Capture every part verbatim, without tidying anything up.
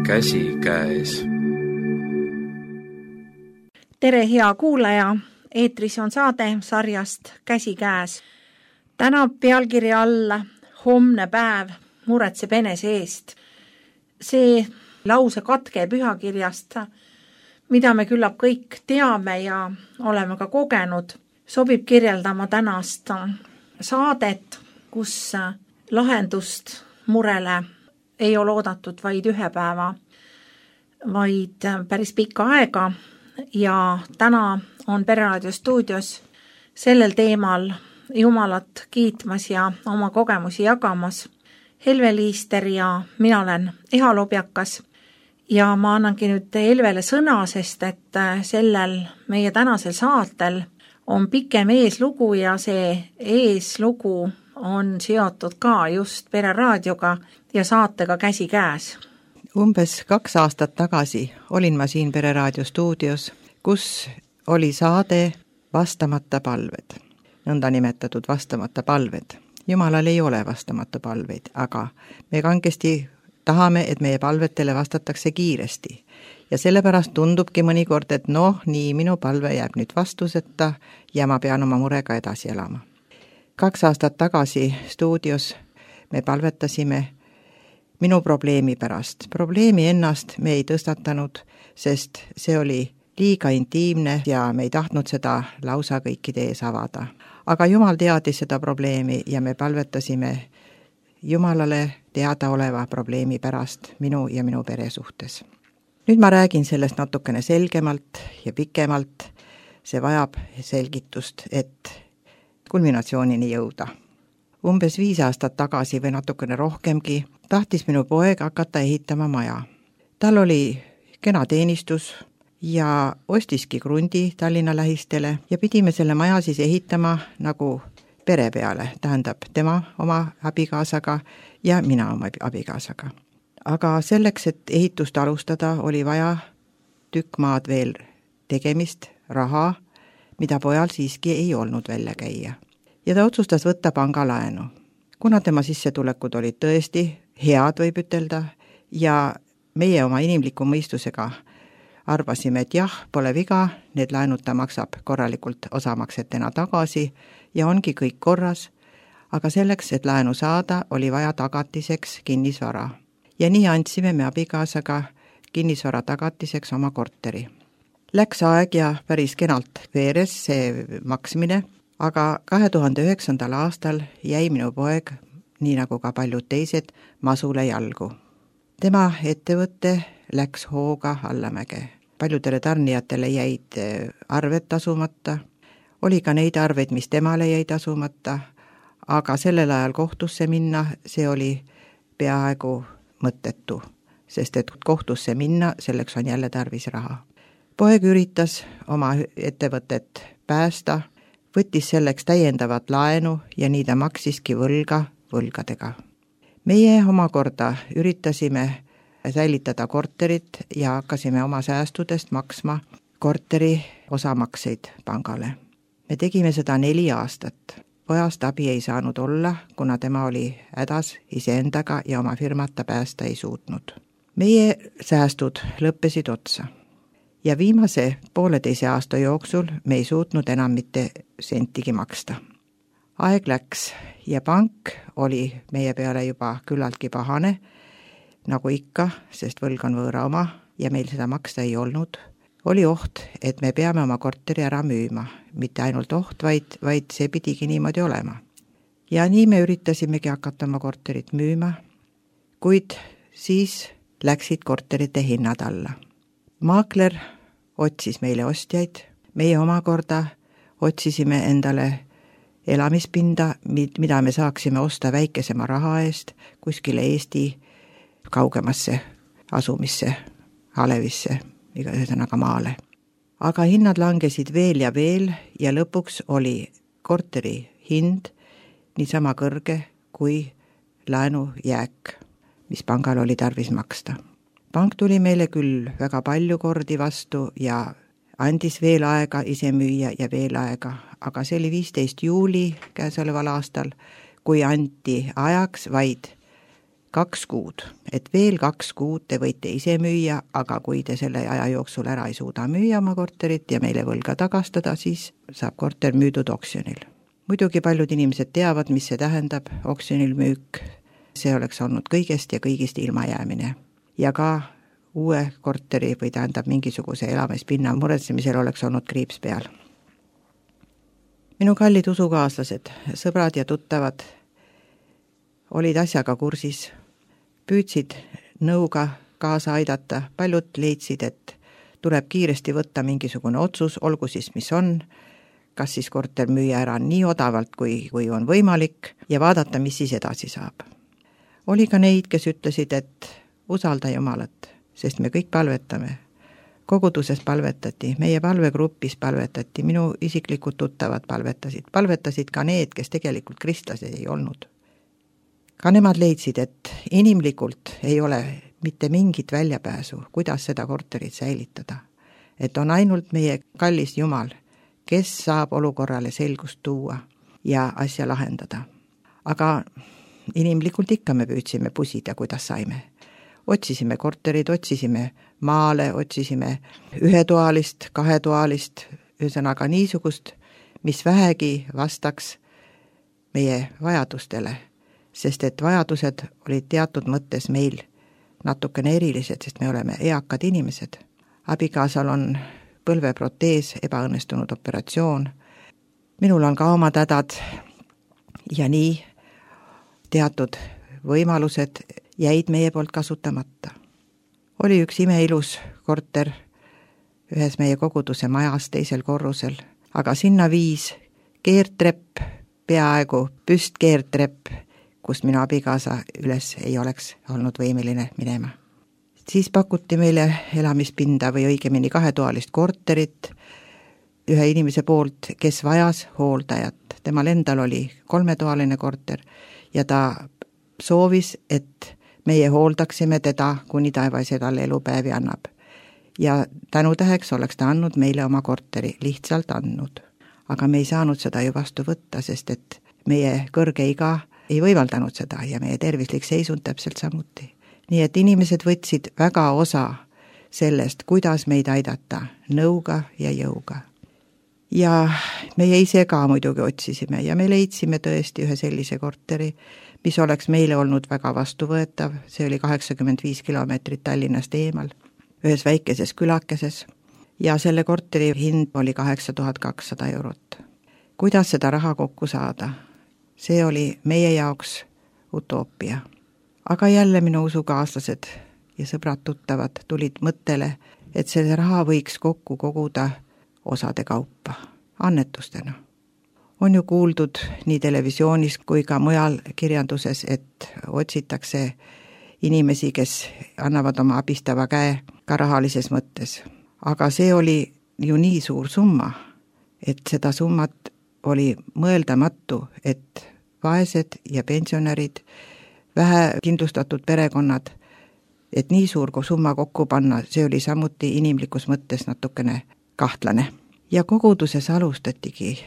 Käsikäes. Tere, hea kuulaja! Eetris on saade sarjast Käsikäes. Täna pealkirja alla Homne päev muretseb enese eest. See lause katke pühakirjast, mida me küllap kõik teame ja oleme ka kogenud, sobib kirjeldama tänast saadet, kus lahendust murele ei ole oodatud vaid ühe päeva, vaid päris pikka aega. Ja täna on Pereraadio stuudios sellel teemal Jumalat kiitmas ja oma kogemusi jagamas Helve Liister ja mina olen Eha Lobjakas. Ja ma annangi nüüd Helvele sõna, sest et sellel meie tänasel saatel on pikem eeslugu ja see eeslugu on seotud ka just Pereraadioga ja saatega Käsikäes. Umbes kaks aastat tagasi olin ma siin Pereraadio stuudios, kus oli saade Vastamata palved, nõnda nimetatud vastamata palved. Jumalal ei ole vastamata palveid, aga me kangesti tahame, et meie palvetele vastatakse kiiresti. Ja sellepärast tundubki mõnikord, et noh, nii minu palve jääb nüüd vastuseta ja ma pean oma murega edasi elama. Kaks aastat tagasi stuudios me palvetasime minu probleemi pärast. Probleemi ennast me ei tõstatanud, sest see oli liiga intiimne ja me ei tahtnud seda lausa kõikide ees avada. Aga Jumal teadis seda probleemi ja me palvetasime Jumalale teada oleva probleemi pärast minu ja minu pere suhtes. Nüüd ma räägin sellest natukene selgemalt ja pikemalt. See vajab selgitust, et kulminatsioonini jõuda. Umbes viis aastat tagasi või natukene rohkemgi tahtis minu poeg hakata ehitama maja. Tal oli kena teenistus ja ostiski krundi Tallinna lähistele ja pidime selle maja siis ehitama nagu pere peale, tähendab tema oma abikaasaga ja mina oma abikaasaga. Aga selleks, et ehitust alustada, oli vaja tükk maad veel tegemist, raha, mida pojal siiski ei olnud välja käia. Ja ta otsustas võtta pangalaenu. Kuna tema sissetulekud olid tõesti head, võib ütelda, ja meie oma inimliku mõistusega arvasime, et jah, pole viga, need laenud ta maksab korralikult osamaksetena tagasi ja ongi kõik korras, aga selleks, et laenu saada, oli vaja tagatiseks kinnisvara. Ja nii andsime me abikaasaga kinnisvara tagatiseks oma korteri. Läks aeg ja päris kenalt veeres see maksmine, aga kahe tuhande üheksandal aastal jäi minu poeg, nii nagu ka paljud teised, masule jalgu. Tema ettevõtte läks hooga allamäge. Paljudele tarnijatele jäid arved tasumata. Oli ka neid arveid, mis temale jäid tasumata, aga sellel ajal kohtusse minna, see oli peaaegu mõttetu, sest et kohtusse minna, selleks on jälle tarvis raha. Poeg üritas oma ettevõtet päästa, võttis selleks täiendavat laenu ja nii ta maksiski võlga võlgadega. Meie omakorda üritasime säilitada korterit ja hakkasime oma säästudest maksma korteri osamakseid pangale. Me tegime seda neli aastat. Pojast abi ei saanud olla, kuna tema oli hädas iseendaga ja oma firmata päästa ei suutnud. Meie säästud lõppesid otsa. Ja viimase pooleteise aasta jooksul me ei suutnud enam mitte sentigi maksta. Aeg läks ja pank oli meie peale juba küllaltki pahane, nagu ikka, sest võlg on võõra oma ja meil seda maksta ei olnud. Oli oht, et me peame oma korteri ära müüma. Mitte ainult oht, vaid, vaid see pidigi niimoodi olema. Ja nii me üritasimegi hakata oma korterit müüma, kuid siis läksid korterite hinnad alla. Maakler otsis meile ostjaid, meie omakorda otsisime endale elamispinda, mida me saaksime osta väikesema raha eest kuskile Eesti kaugemasse asumisse, Alevisse, ühesõnaga maale. Aga hinnad langesid veel ja veel ja lõpuks oli korteri hind niisama kõrge kui laenu jääk, mis pangal oli tarvis maksta. Pank tuli meile küll väga palju kordi vastu ja andis veel aega ise müüa ja veel aega, aga see oli viisteist juuli käesoleval aastal, kui anti ajaks vaid kaks kuud, et veel kaks kuud te võite ise müüa, aga kui te selle aja jooksul ära ei suuda müüa oma korterit ja meile võlga tagastada, siis saab korter müüdud oksjonil. Muidugi paljud inimesed teavad, mis see tähendab, oksjonil müük, see oleks olnud kõigest ja kõigist ilmajäämine. Ja ka uue korteri või tähendab mingisuguse elamispinna muretsemisel oleks olnud kriips peal. Minu kallid usukaaslased, sõbrad ja tuttavad olid asjaga kursis, püüdsid nõuga kaasa aidata, paljud leidsid, et tuleb kiiresti võtta mingisugune otsus, olgu siis mis on, kas siis korter müüa ära nii odavalt, kui, kui on võimalik ja vaadata, mis siis edasi saab. Oli ka neid, kes ütlesid, et usalda Jumalat, sest me kõik palvetame. Koguduses palvetati, meie palvegrupis palvetati, minu isiklikud tuttavad palvetasid, palvetasid ka need, kes tegelikult kristlased ei olnud. Ka nemad leidsid, et inimlikult ei ole mitte mingit väljapääsu, kuidas seda korterit säilitada. Et on ainult meie kallis Jumal, kes saab olukorrale selgust tuua ja asja lahendada. Aga inimlikult ikka me püüdsime pusida, kuidas saime. Otsisime korterid, otsisime maale, otsisime ühetoalist, kahetoalist, ühesõnaga niisugust, mis vähegi vastaks meie vajadustele, sest et vajadused olid teatud mõttes meil natukene erilised, sest me oleme eakad inimesed. Abikaasal on põlveprotees, ebaõnnestunud operatsioon. Minul on ka oma tädad ja nii teatud võimalused jäid meie poolt kasutamata. Oli üks imeilus korter ühes meie koguduse majas teisel korrusel, aga sinna viis keertrepp, peaaegu püstkeertrepp, kus minu abikaasa üles ei oleks olnud võimeline minema. Siis pakuti meile elamispinda või õigemini kahetoalist korterit ühe inimese poolt, kes vajas hooldajat. Temal endal oli kolmetoaline korter ja ta soovis, et meie hooldaksime teda, kuni taevas talle elupäevi annab. Ja tänutäheks oleks ta andnud meile oma korteri, lihtsalt andnud. Aga me ei saanud seda ju vastu võtta, sest et meie kõrge iga ei võimaldanud seda ja meie tervislik seisund täpselt samuti. Nii et inimesed võtsid väga osa sellest, kuidas meid aidata nõuga ja jõuga. Ja meie ise ka muidugi otsisime ja me leidsime tõesti ühe sellise korteri, mis oleks meile olnud väga vastuvõetav, see oli kaheksakümmend viis kilomeetrit Tallinnast eemal, ühes väikeses külakeses ja selle korteri hind oli kaheksa tuhat kakssada eurot. Kuidas seda raha kokku saada? See oli meie jaoks utoopia. Aga jälle minu usukaaslased ja sõbrad tuttavad tulid mõttele, et selle raha võiks kokku koguda osade kaupa, annetustena. On ju kuuldud nii televisioonis kui ka mujal kirjanduses, et otsitakse inimesi, kes annavad oma abistava käe ka rahalises mõttes. Aga see oli ju nii suur summa, et seda summat oli mõeldamatu, et vaesed ja pensionärid, vähe kindlustatud perekonnad, et nii suur summa kokku panna, see oli samuti inimlikus mõttes natukene kahtlane. Ja koguduses alustatigi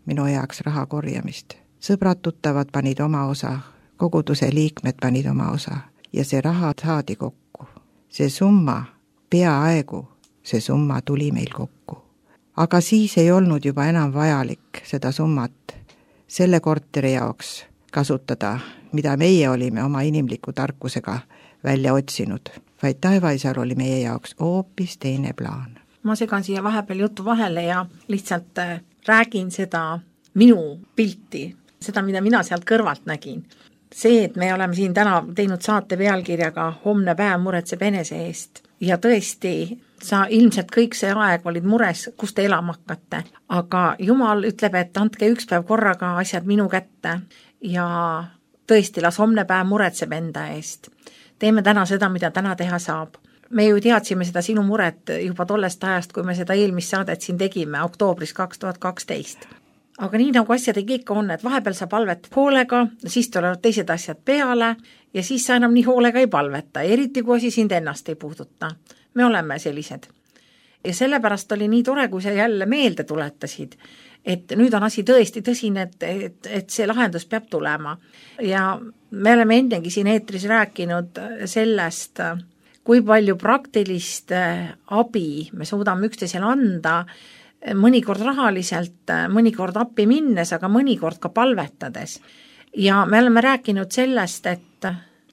minu heaks raha korjamist. Sõbrad tuttavad panid oma osa, koguduse liikmed panid oma osa ja see raha saadi kokku. See summa, peaaegu see summa tuli meil kokku. Aga siis ei olnud juba enam vajalik seda summat selle korteri jaoks kasutada, mida meie olime oma inimliku tarkusega välja otsinud, vaid taevaisal oli meie jaoks hoopis teine plaan. Ma segan siia vahepeal jutu vahele ja lihtsalt räägin seda minu pilti, seda, mida mina sealt kõrvalt nägin. See, et me oleme siin täna teinud saate pealkirjaga Homne päev muretseb enese eest ja tõesti, sa ilmselt kõik see aeg olid mures, kus te elama hakkate, aga Jumal ütleb, et andke üks päev korraga asjad minu kätte ja tõesti, las homne päev muretseb enda eest. Teeme täna seda, mida täna teha saab. Me ju teadsime seda sinu muret juba tollest ajast, kui me seda eelmist saadet siin tegime, oktoobris kaks tuhat kaksteist. Aga nii nagu asjadega ikka on, et vahepeal sa palvet hoolega, siis tulevad teised asjad peale ja siis sa enam nii hoolega ei palveta, eriti kui asi sind ennast ei puuduta. Me oleme sellised. Ja sellepärast oli nii tore, kui sa jälle meelde tuletasid, et nüüd on asi tõesti tõsine, et, et, et see lahendus peab tulema. Ja me oleme ennegi siin eetris rääkinud sellest, kui palju praktilist abi me suudame üksteisele anda, mõnikord rahaliselt, mõnikord appi minnes, aga mõnikord ka palvetades. Ja me oleme rääkinud sellest, et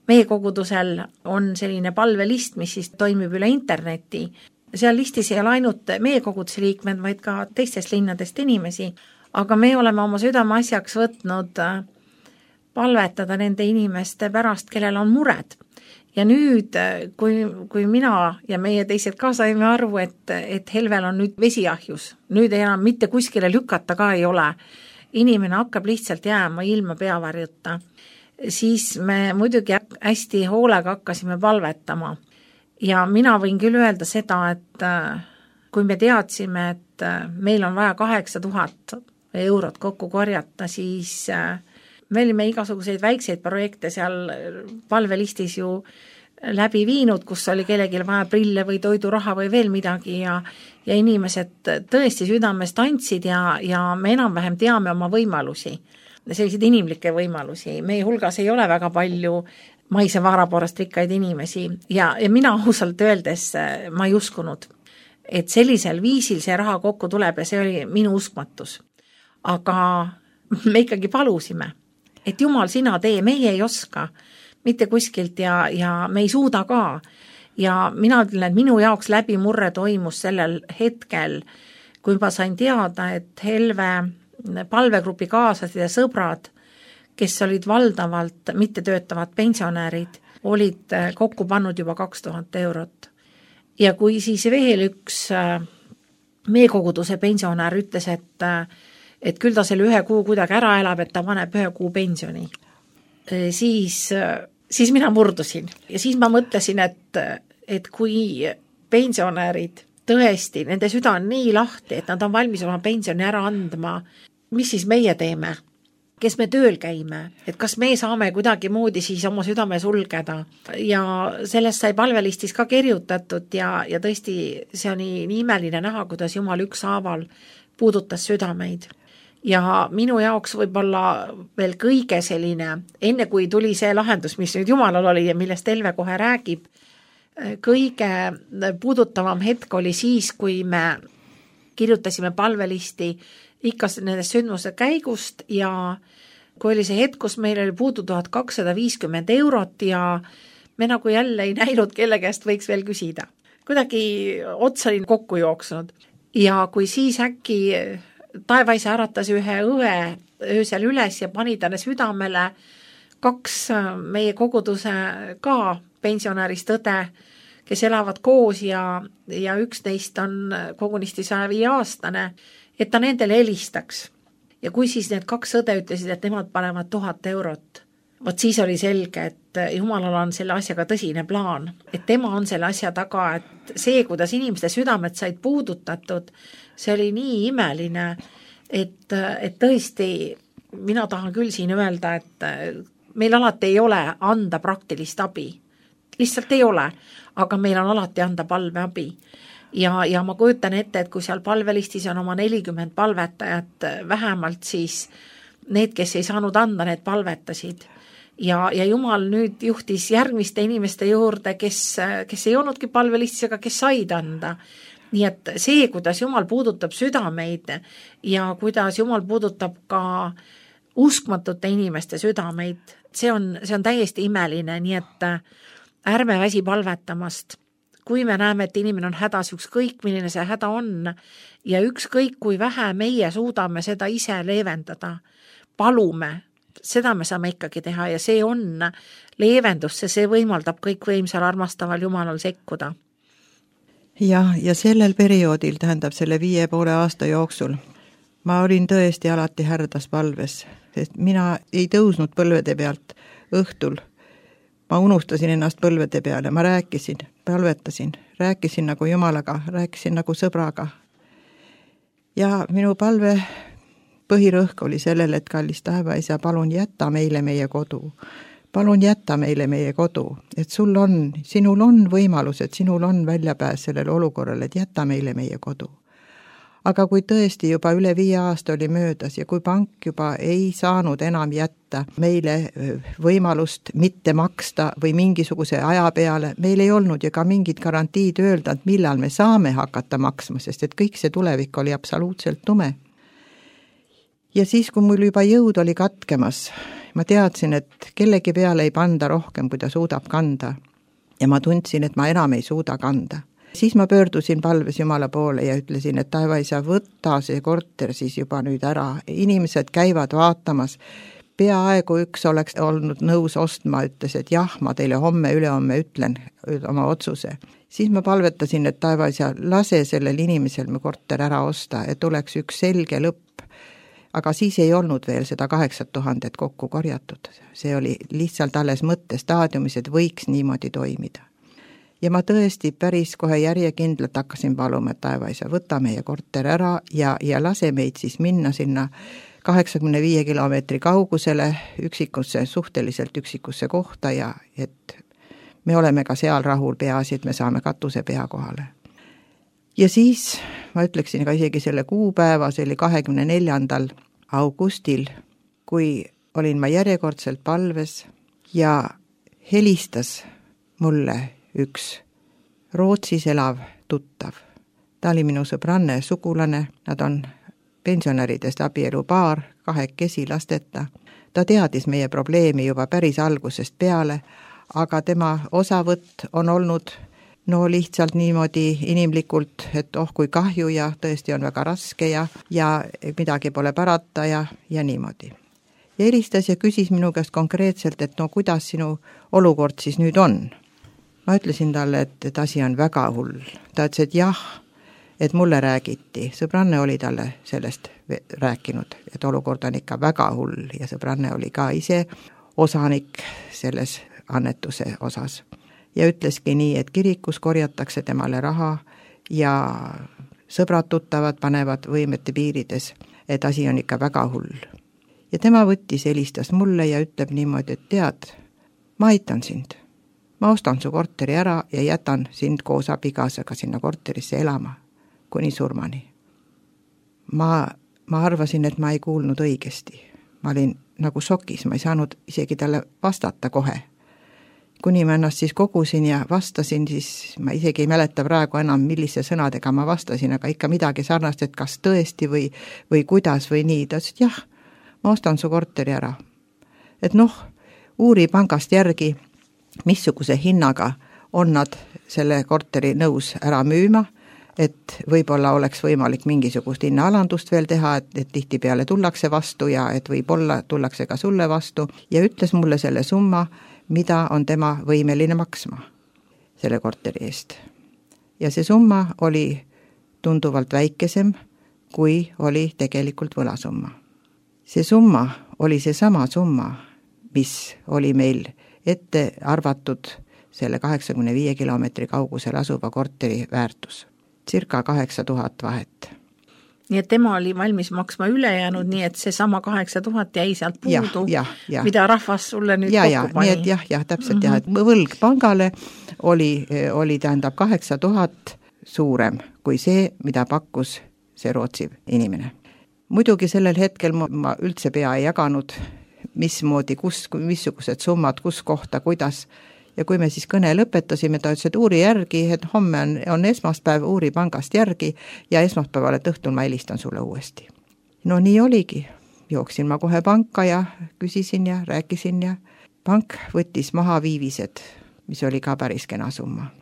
meie kogudusel on selline palvelist, mis siis toimib üle interneti. Seal listis ei ole ainult meie koguduse liikmed, vaid ka teistest linnadest inimesi, aga me oleme oma südame asjaks võtnud palvetada nende inimeste pärast, kellel on mured. Ja nüüd, kui, kui mina ja meie teised ka saime aru, et, et Helvel on nüüd vesiahjus, nüüd ei enam mitte kuskile lükata ka ei ole, inimene hakkab lihtsalt jääma ilma peavarjuta, siis me muidugi hästi hoolega hakkasime palvetama. Ja mina võin küll öelda seda, et kui me teadsime, et meil on vaja kaheksa tuhat eurot kokku korjata, siis me olime igasuguseid väikseid projekte seal palvelistis ju läbi viinud, kus oli kellelgi vaja prille või toiduraha või veel midagi ja, ja inimesed tõesti südamest andsid ja, ja me enam-vähem teame oma võimalusi, selliseid inimlikke võimalusi. Meie hulgas ei ole väga palju maise vaarapoolest rikkaid inimesi ja, ja mina ausalt öeldes ma ei uskunud, et sellisel viisil see raha kokku tuleb ja see oli minu uskmatus. Aga me ikkagi palusime, et Jumal, sina tee, meie ei oska mitte kuskilt ja, ja me ei suuda ka. Ja mina ütlen, et minu jaoks läbimurre toimus sellel hetkel, kui ma sain teada, et Helve palvegrupi kaaslased ja sõbrad, kes olid valdavalt mittetöötavad pensionärid, olid kokku pannud juba kaks tuhat eurot. Ja kui siis veel üks meie koguduse pensionär ütles, et, et küll ta selle ühe kuu kuidagi ära elab, et ta paneb ühe kuu pensioni, siis, siis mina murdusin. Ja siis ma mõtlesin, et, et kui pensionärid tõesti, nende süda on nii lahti, et nad on valmis oma pensioni ära andma, mis siis meie teeme? Kes me tööl käime, et kas me saame kuidagi moodi siis oma südame sulgeda ja sellest sai palvelistis ka kirjutatud ja, ja tõesti see on nii, nii imeline näha, kuidas Jumal ükshaaval puudutas südameid. Ja minu jaoks võib-olla veel kõige selline, enne kui tuli see lahendus, mis nüüd Jumalal oli ja millest Helve kohe räägib, kõige puudutavam hetk oli siis, kui me kirjutasime palvelisti ikka nendest sündmuse käigust ja kui oli see hetk, kus meil oli puudu tuhat kakssada viiskümmend eurot ja me nagu jälle ei näinud, kelle käest võiks veel küsida. Kuidagi otsa olin kokku jooksnud ja kui siis äkki taevaisa äratas ühe õe öösel üles ja pani talle südamele kaks meie koguduse ka pensionärist õde, kes elavad koos ja, ja üks neist on kogunisti saja viie aastane, et ta nendele helistaks. Ja kui siis need kaks õde ütlesid, et nemad panevad tuhat eurot, vot siis oli selge, et Jumalal on selle asjaga tõsine plaan, et tema on selle asja taga, et see, kuidas inimeste südamed said puudutatud, see oli nii imeline, et, et tõesti mina tahan küll siin öelda, et meil alati ei ole anda praktilist abi. Lihtsalt ei ole, aga meil on alati anda palveabi. Ja, ja ma kujutan ette, et kui seal palvelistis on oma nelikümmend palvetajat, vähemalt siis need, kes ei saanud anda, need palvetasid. Ja, ja Jumal nüüd juhtis järgmiste inimeste juurde, kes, kes ei olnudki palvelistis, aga kes said anda. Nii et see, kuidas Jumal puudutab südameid ja kuidas Jumal puudutab ka uskmatute inimeste südameid, see on, see on täiesti imeline, nii et ärme väsi palvetamast. Kui me näeme, et inimene on hädas, ükskõik milline see häda on ja ükskõik kui vähe meie suudame seda ise leevendada, palume, seda me saame ikkagi teha ja see on leevendus, see võimaldab kõik võimsal armastaval Jumalal sekkuda. Ja, ja sellel perioodil, tähendab selle viie poole aasta jooksul, ma olin tõesti alati härdas palves, sest mina ei tõusnud põlvede pealt õhtul. Ma unustasin ennast põlvede peale, ma rääkisin, palvetasin, rääkisin nagu Jumalaga, rääkisin nagu sõbraga. Ja minu palve põhirõhk oli sellel, et kallis taevaisa, palun jätta meile meie kodu. Palun jätta meile meie kodu, et sul on, sinul on võimalus, et sinul on väljapääs sellele olukorrale, et jätta meile meie kodu. aga kui tõesti juba üle viie aasta oli möödas ja kui pank juba ei saanud enam jätta meile võimalust mitte maksta või mingisuguse aja peale, meil ei olnud ju ka mingit garantiid öelda, et millal me saame hakata maksma, sest et kõik see tulevik oli absoluutselt tume. Ja siis, kui mul juba jõud oli katkemas, ma teadsin, et kellegi peale ei panda rohkem, kui ta suudab kanda. Ja ma tundsin, et ma enam ei suuda kanda. Siis ma pöördusin palves Jumala poole ja ütlesin, et taevaisa, võtta see korter siis juba nüüd ära. Inimesed käivad vaatamas. Peaaegu üks oleks olnud nõus ostma, ütles, et jah, ma teile homme, ülehomme ütlen oma otsuse. Siis ma palvetasin, et taevaisa, lase sellel inimesel mu korter ära osta, et oleks üks selge lõpp. Aga siis ei olnud veel seda kaheksat tuhandet kokku korjatud. See oli lihtsalt alles mõttestaadiumis, et võiks niimoodi toimida. Ja ma tõesti päris kohe järjekindlalt hakkasin paluma, et taevaisa, võta meie korter ära ja, ja lase meid siis minna sinna kaheksakümne viie kilomeetri kaugusele üksikusse, suhteliselt üksikusse kohta ja et me oleme ka seal rahul, peaasi, et me saame katuse pea kohale. Ja siis ma ütleksin ka isegi selle kuupäeva, see oli kahekümne neljandal augustil, kui olin ma järjekordselt palves ja helistas mulle üks Rootsis elav tuttav. Ta oli minu sõbranne sugulane, nad on pensionäridest abielupaar, kahekesi lasteta. Ta teadis meie probleemi juba päris algusest peale, aga tema osavõtt on olnud no lihtsalt niimoodi inimlikult, et oh kui kahju ja tõesti on väga raske ja, ja midagi pole parata ja, ja niimoodi. Ja helistas ja küsis minu käest konkreetselt, et no kuidas sinu olukord siis nüüd on. Ma ütlesin talle, et, et asi on väga hull. Ta ütles, et jah, et mulle räägiti. Sõbranne oli talle sellest rääkinud, et olukord on ikka väga hull ja sõbranne oli ka ise osanik selles annetuse osas. Ja ütleski nii, et kirikus korjatakse temale raha ja sõbrad tuttavad panevad võimete piirides, et asi on ikka väga hull. Ja tema võttis, helistas mulle ja ütleb niimoodi, et tead, ma aitan sind. Ma ostan su korteri ära ja jätan sind koos abikaasaga sinna korterisse elama, kuni surmani. Ma, ma arvasin, et ma ei kuulnud õigesti. Ma olin nagu šokis, ma ei saanud isegi talle vastata kohe. Kuni ma ennast siis kogusin ja vastasin, siis ma isegi ei mäleta praegu enam, millise sõnadega ma vastasin, aga ikka midagi sarnast, et kas tõesti või, või kuidas või nii. Ta ütles, et jah, ma ostan su korteri ära. Et noh, uuri pangast järgi, missuguse hinnaga on nad selle korteri nõus ära müüma, et võib-olla oleks võimalik mingisugust hinnaalandust veel teha, et, et tihti peale tullakse vastu ja et võib-olla tullakse ka sulle vastu ja ütles mulle selle summa, mida on tema võimeline maksma selle korteri eest. Ja see summa oli tunduvalt väikesem, kui oli tegelikult võlasumma. See summa oli see sama summa, mis oli meil ette arvatud selle kaheksakümne viie kilomeetri kaugusel asuva korteri väärtus. Circa kaheksa tuhat vahet. Nii et tema oli valmis maksma ülejäänud, nii et see sama kaheksa tuhat jäi sealt puudu, ja, ja, ja. Mida rahvas sulle nüüd ja, kokku ja, pani. Nii et jah, jah, täpselt mm-hmm. jah, et võlg pangale oli, oli tähendab kaheksa tuhat suurem kui see, mida pakkus see Rootsi inimene. Muidugi sellel hetkel ma, ma üldse pea ei jaganud, mismoodi, kus, missugused summad, kus kohta, kuidas. Ja kui me siis kõne lõpetasime, ta ütles, et uuri järgi, et homme on, on esmaspäev, uuri pangast järgi ja esmaspäeval, et õhtul ma helistan sulle uuesti. No nii oligi. Jooksin ma kohe panka ja küsisin ja rääkisin ja pank võttis maha viivised, mis oli ka päris kena summa.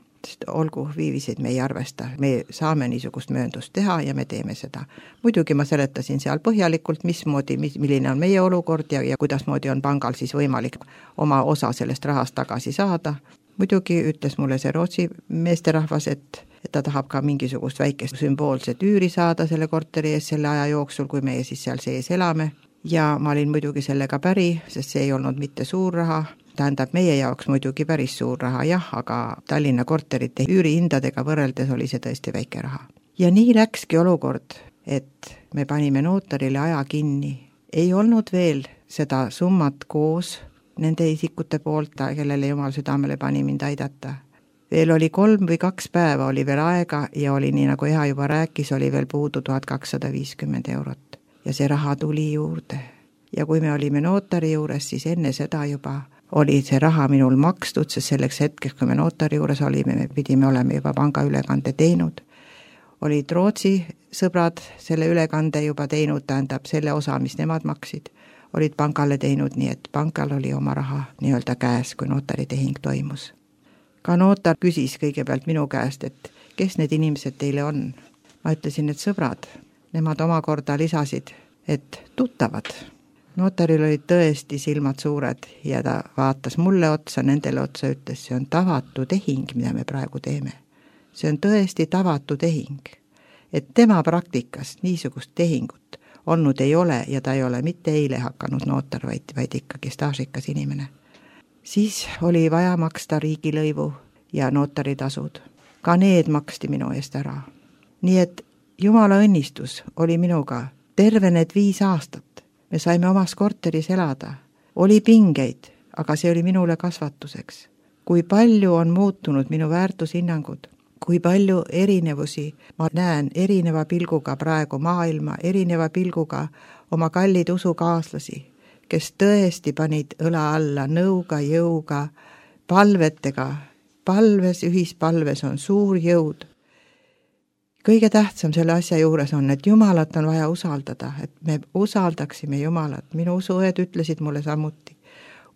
Olgu, viiviseid me ei arvesta, me saame niisugust mööndust teha ja me teeme seda. Muidugi ma seletasin seal põhjalikult, mismoodi, milline on meie olukord ja, ja kuidas moodi on pangal siis võimalik oma osa sellest rahast tagasi saada. Muidugi ütles mulle see Rootsi meesterahvas, et, et ta tahab ka mingisugust väikest sümboolset üüri saada selle korteri ees selle aja jooksul, kui meie siis seal sees elame. Ja ma olin muidugi sellega päri, sest see ei olnud mitte suur raha. Tähendab, meie jaoks muidugi päris suur raha, jah, aga Tallinna korterite üürihindadega võrreldes oli see tõesti väike raha. Ja nii läkski olukord, et me panime notarile aja kinni. Ei olnud veel seda summat koos nende isikute poolt, kellele Jumal südamele pani mind aidata. veel oli kolm või kaks päeva oli veel aega ja oli nii, nagu Eha juba rääkis, oli veel puudu tuhat kakssada viiskümmend eurot ja see raha tuli juurde. Ja kui me olime notari juures, siis enne seda juba oli see raha minul makstud, sest selleks hetkeks, kui me notari juures olime, me pidime olema juba pangaülekande teinud. Olid Rootsi sõbrad selle ülekande juba teinud, tähendab selle osa, mis nemad maksid, olid pangale teinud, nii et pankal oli oma raha nii-öelda käes, kui notari tehing toimus. Ka notar küsis kõigepealt minu käest, et kes need inimesed teile on. Ma ütlesin, et sõbrad, nemad omakorda lisasid, et tuttavad. Notaril olid tõesti silmad suured ja ta vaatas mulle otsa, nendele otsa, ütles, see on tavatu tehing, mida me praegu teeme. See on tõesti tavatu tehing, et tema praktikas niisugust tehingut olnud ei ole ja ta ei ole mitte eile hakanud notar, vaid, vaid ikkagi staažikas inimene. Siis oli vaja maksta riigilõivu ja notaritasud. Ka need maksti minu eest ära. Nii et Jumala õnnistus oli minuga terve need viis aastat. Me saime omas korteris elada. Oli pingeid, aga see oli minule kasvatuseks. Kui palju on muutunud minu väärtushinnangud, kui palju erinevusi ma näen erineva pilguga praegu maailma, erineva pilguga oma kallid usukaaslasi, kes tõesti panid õla alla nõuga, jõuga, palvetega. Palves, ühispalves on suur jõud. Kõige tähtsam selle asja juures on, et Jumalat on vaja usaldada, et me usaldaksime Jumalat. Minu usuõed ütlesid mulle samuti.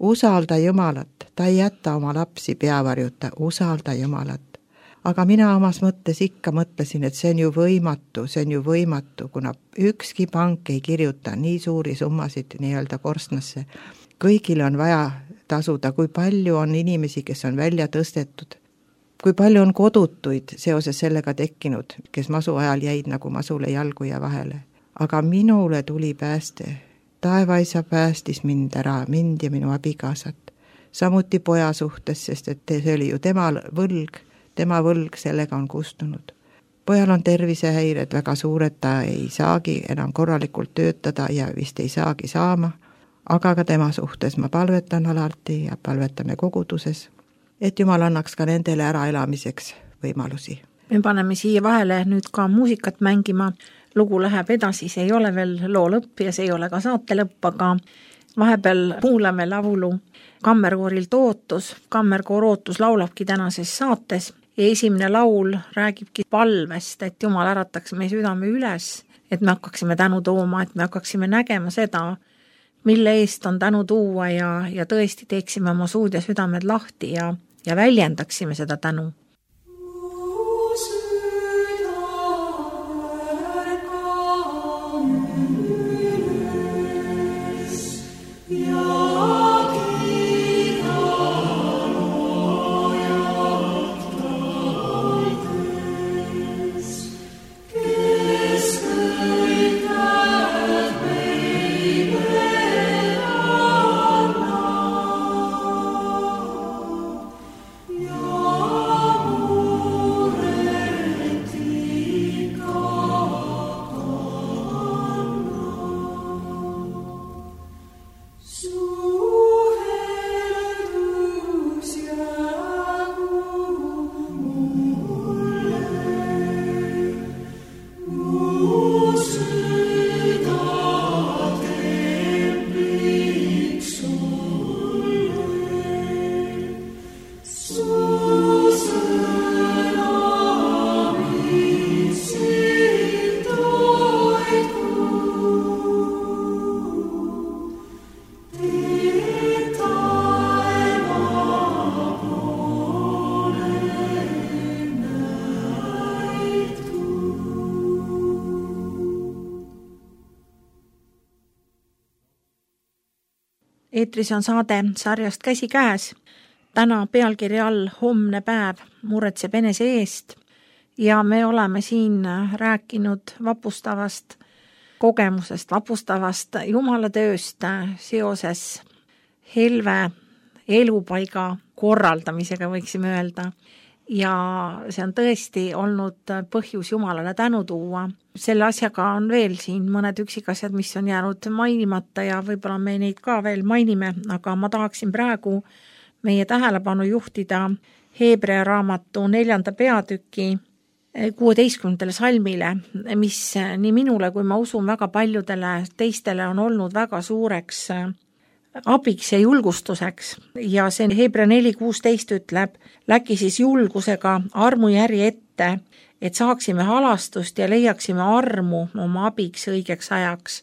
Usalda Jumalat, ta ei jäta oma lapsi peavarjuta, usalda Jumalat. Aga mina omas mõttes ikka mõtlesin, et see on ju võimatu, see on ju võimatu, kuna ükski pank ei kirjuta nii suuri summasid nii-öelda korstnasse. Kõigil on vaja tasuda, kui palju on inimesi, kes on välja tõstetud. Kui palju on kodutuid seoses sellega tekkinud, kes masu ajal jäid nagu masule jalgu ja vahele. Aga minule tuli pääste. Taevaisa päästis mind ära, mind ja minu abikaasat. Samuti poja suhtes, sest et see oli ju tema võlg, tema võlg sellega on kustunud. Pojal on tervisehäired väga suured, ta ei saagi enam korralikult töötada ja vist ei saagi saama. Aga ka tema suhtes ma palvetan alati ja palvetame koguduses, et Jumal annaks ka nendele äraelamiseks võimalusi. Me paneme siia vahele nüüd ka muusikat mängima. Lugu läheb edasi, see ei ole veel loo lõpp ja see ei ole ka saate lõpp, aga vahepeal kuulame laulu Kammerkoorilt Ootus. Kammerkoor Ootus laulabki tänases saates ja esimene laul räägibki palvest, et Jumal ärataks meie südame üles, et me hakkaksime tänu tooma, et me hakkaksime nägema seda, mille eest on tänu tuua ja, ja tõesti teeksime oma suud ja südamed lahti ja ja väljendaksime seda tänu. Eetris on saade sarjast Käsi käes. Täna pealkirja all Homne päev muretseb enese eest ja me oleme siin rääkinud vapustavast kogemusest, vapustavast jumalatööst seoses helve elupaiga korraldamisega, võiksime öelda. Ja see on tõesti olnud põhjus Jumalale tänu tuua. Selle asjaga on veel siin mõned üksikasjad, mis on jäänud mainimata ja võib-olla me neid ka veel mainime, aga ma tahaksin praegu meie tähelepanu juhtida Hebrea raamatu neljanda peatüki kuueteistkümnendale salmile, mis nii minule kui ma usun väga paljudele teistele on olnud väga suureks abiks ja julgustuseks. Ja see Hebra neli kuusteist ütleb, läki siis julgusega armujärje ette, et saaksime halastust ja leiaksime armu oma abiks õigeks ajaks.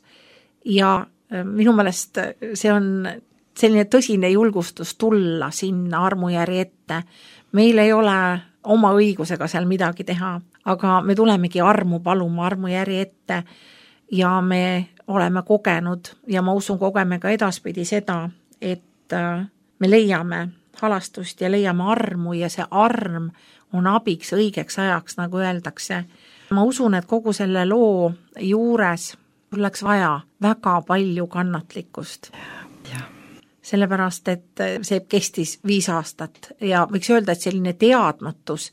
Ja minu meelest see on selline tõsine julgustus tulla sinna armujärje ette. Meil ei ole oma õigusega seal midagi teha, aga me tulemegi armu paluma armujärje ette ja me oleme kogenud ja ma usun kogeme ka edaspidi seda, et me leiame halastust ja leiame armu ja see arm on abiks õigeks ajaks, nagu öeldakse. Ma usun, et kogu selle loo juures oleks vaja väga palju kannatlikkust. Ja. Sellepärast, et see kestis viis aastat ja võiks öelda, et selline teadmatus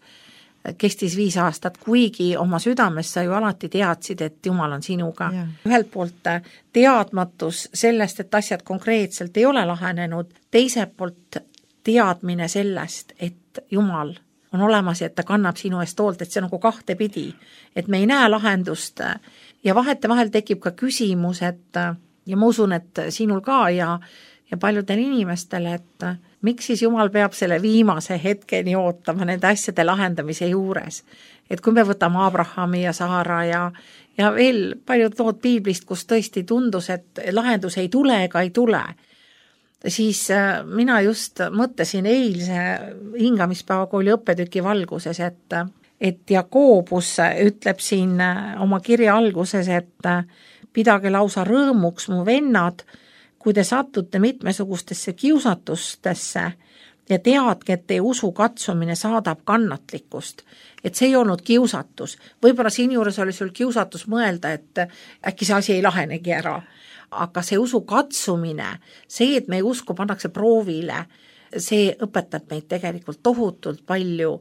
kestis viis aastat, kuigi oma südames sa ju alati teadsid, et Jumal on sinuga. Ja. Ühelt poolt teadmatus sellest, et asjad konkreetselt ei ole lahenenud, teiselt poolt teadmine sellest, et Jumal on olemas ja et ta kannab sinu eest hoolt, et see nagu kahte pidi, et me ei näe lahendust ja vahete vahel tekib ka küsimus, et ja ma usun, et sinul ka ja ja paljudel inimestele, et miks siis Jumal peab selle viimase hetkeni ootama nende asjade lahendamise juures. Et kui me võtame Abrahami ja Saara ja, ja veel paljud lood piiblist, kus tõesti tundus, et lahendus ei tule ega ei tule, siis mina just mõtlesin eilse hingamispäevakooli õppetüki valguses, et, et Jakoobus ütleb siin oma kirja alguses, et pidage lausa rõõmuks mu vennad, kui te satute mitmesugustesse kiusatustesse ja teadke, et teie usu katsumine saadab kannatlikkust. Et see ei olnud kiusatus. Võib-olla siin juures oli sul kiusatus mõelda, et äkki see asi ei lahenegi ära. Aga see usu katsumine, see, et meie usku pannakse proovile, see õpetab meid tegelikult tohutult palju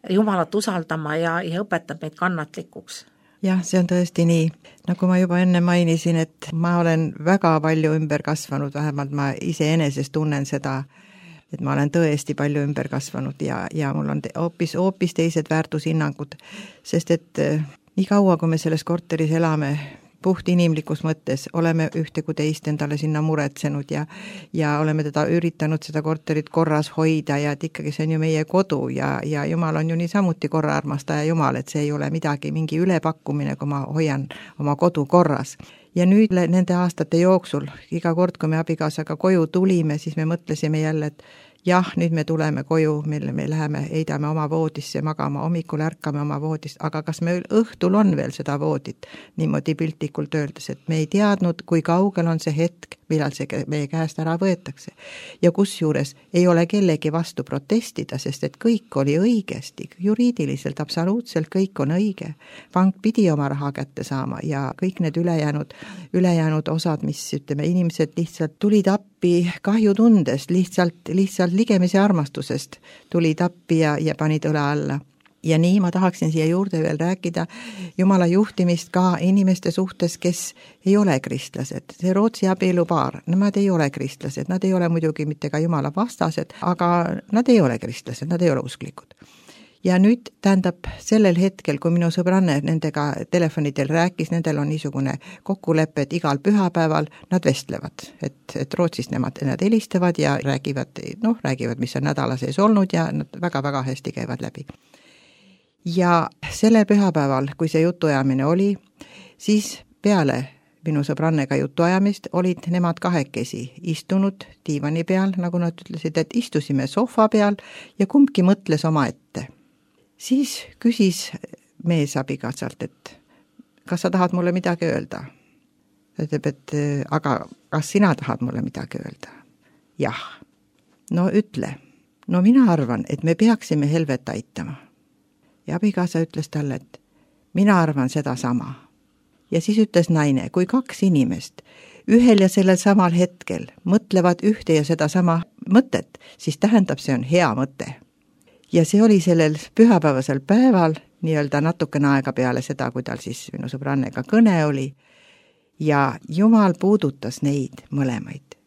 Jumalat usaldama ja, ja õpetab meid kannatlikuks. Jah, see on tõesti nii. Nagu ma juba enne mainisin, et ma olen väga palju ümber kasvanud, vähemalt ma ise eneses tunnen seda, et ma olen tõesti palju ümber kasvanud ja, ja mul on hoopis, hoopis teised väärtushinnangud, sest et nii kaua, kui me selles korteris elame, puht inimlikus mõttes, oleme ühte kui teist endale sinna muretsenud ja, ja oleme teda üritanud seda korterit korras hoida ja et ikkagi see on ju meie kodu ja, ja Jumal on ju nii samuti korra armastaja Jumal, et see ei ole midagi, mingi ülepakkumine, kui ma hoian oma kodu korras. Ja nüüd nende aastate jooksul, iga kord, kui me abikaasaga koju tulime, siis me mõtlesime jälle, et jah, nüüd me tuleme koju, mille me läheme, heidame oma voodisse magama, hommikul ärkame oma voodist, aga kas meil õhtul on veel seda voodit, niimoodi piltlikult öeldes, et me ei teadnud, kui kaugel on see hetk, millal see meie käest ära võetakse. Ja kus juures ei ole kellegi vastu protestida, sest et kõik oli õigesti, juriidiliselt absoluutselt kõik on õige. Pank pidi oma raha kätte saama ja kõik need ülejäänud, ülejäänud osad, mis ütleme, inimesed lihtsalt tulid appi kahjutundest, lihtsalt, lihtsalt ligemise armastusest tulid appi ja, ja panid õle alla. Ja nii ma tahaksin siia juurde veel rääkida Jumala juhtimist ka inimeste suhtes, kes ei ole kristlased. See Rootsi abielupaar, nemad ei ole kristlased, nad ei ole muidugi mitte ka Jumala vastased, aga nad ei ole kristlased, nad ei ole usklikud. Ja nüüd tähendab sellel hetkel, kui minu sõbranne nendega telefonidel rääkis, nendel on niisugune kokkulepe, et igal pühapäeval nad vestlevad, et, et Rootsist nemad, nad helistavad ja räägivad, noh, räägivad, mis on nädala sees olnud ja nad väga-väga hästi käivad läbi. Ja sellel pühapäeval, kui see jutuajamine oli, siis peale minu sõbrannega jutuajamist olid nemad kahekesi istunud diivani peal, nagu nad ütlesid, et istusime sohva peal ja kumbki mõtles oma ette. Siis küsis mees abikaasalt, et kas sa tahad mulle midagi öelda? Ta ütleb, et aga kas sina tahad mulle midagi öelda? Jah. No ütle. No mina arvan, et me peaksime Helvet aitama. Ja abikaasa ütles talle, et mina arvan seda sama. Ja siis ütles naine, kui kaks inimest ühel ja sellel samal hetkel mõtlevad ühte ja seda sama mõtet, siis tähendab, see on hea mõte. Ja see oli sellel pühapäevasel päeval, nii-öelda natukene aega peale seda, kui tal siis minu sõbrannega kõne oli, ja Jumal puudutas neid mõlemaid.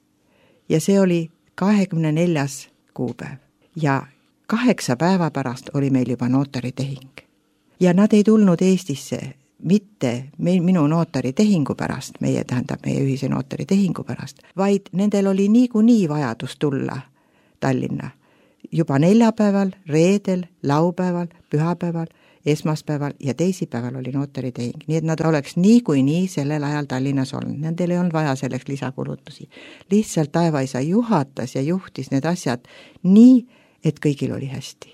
Ja see oli kahekümne neljas kuupäev ja kaheksa päeva pärast oli meil juba notaritehing. Ja nad ei tulnud Eestisse mitte meil, minu notaritehingu pärast, meie tähendab meie ühise notaritehingu pärast, vaid nendel oli niikuinii vajadus tulla Tallinna juba neljapäeval, reedel, laupäeval, pühapäeval, esmaspäeval ja teisipäeval oli notaritehing, nii et nad oleks niikuinii sellel ajal Tallinnas olnud. Nendel ei olnud vaja selleks lisakulutusi. Lihtsalt taevaisa juhatas ja juhtis need asjad nii, et kõigil oli hästi.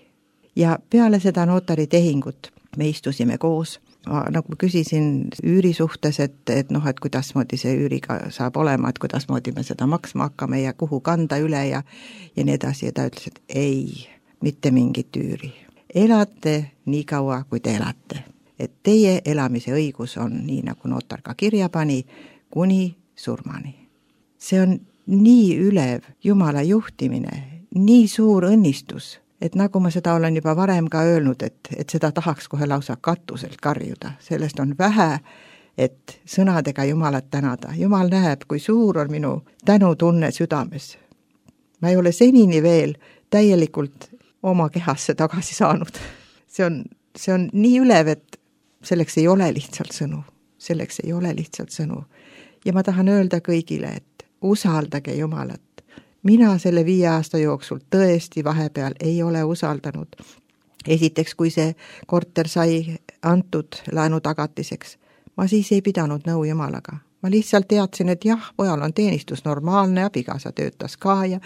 Ja peale seda notaritehingut me istusime koos. Ma nagu küsisin üüri suhtes, et, et noh, et kuidas moodi see üüriga saab olema, et kuidas moodi me seda maksma hakkame ja kuhu kanda üle ja, ja nii edasi. Ja ta ütles, et ei, mitte mingit üüri. Elate nii kaua, kui te elate. Et teie elamise õigus on, nii nagu notar ka kirja pani, kuni surmani. See on nii ülev Jumala juhtimine, nii suur õnnistus, et nagu ma seda olen juba varem ka öelnud, et, et seda tahaks kohe lausa katuselt karjuda. Sellest on vähe, et sõnadega Jumalat tänada. Jumal näeb, kui suur on minu tänutunne südames. Ma ei ole senini veel täielikult oma kehasse tagasi saanud. See on, see on nii ülev, et selleks ei ole lihtsalt sõnu. Selleks ei ole lihtsalt sõnu. Ja ma tahan öelda kõigile, et usaldage Jumalat. Mina selle viie aasta jooksul tõesti vahepeal ei ole usaldanud. Esiteks, kui see korter sai antud laenu tagatiseks, ma siis ei pidanud nõu Jumalaga. Ma lihtsalt teadsin, et jah, pojal on teenistus normaalne, abikaasa töötas ka ja,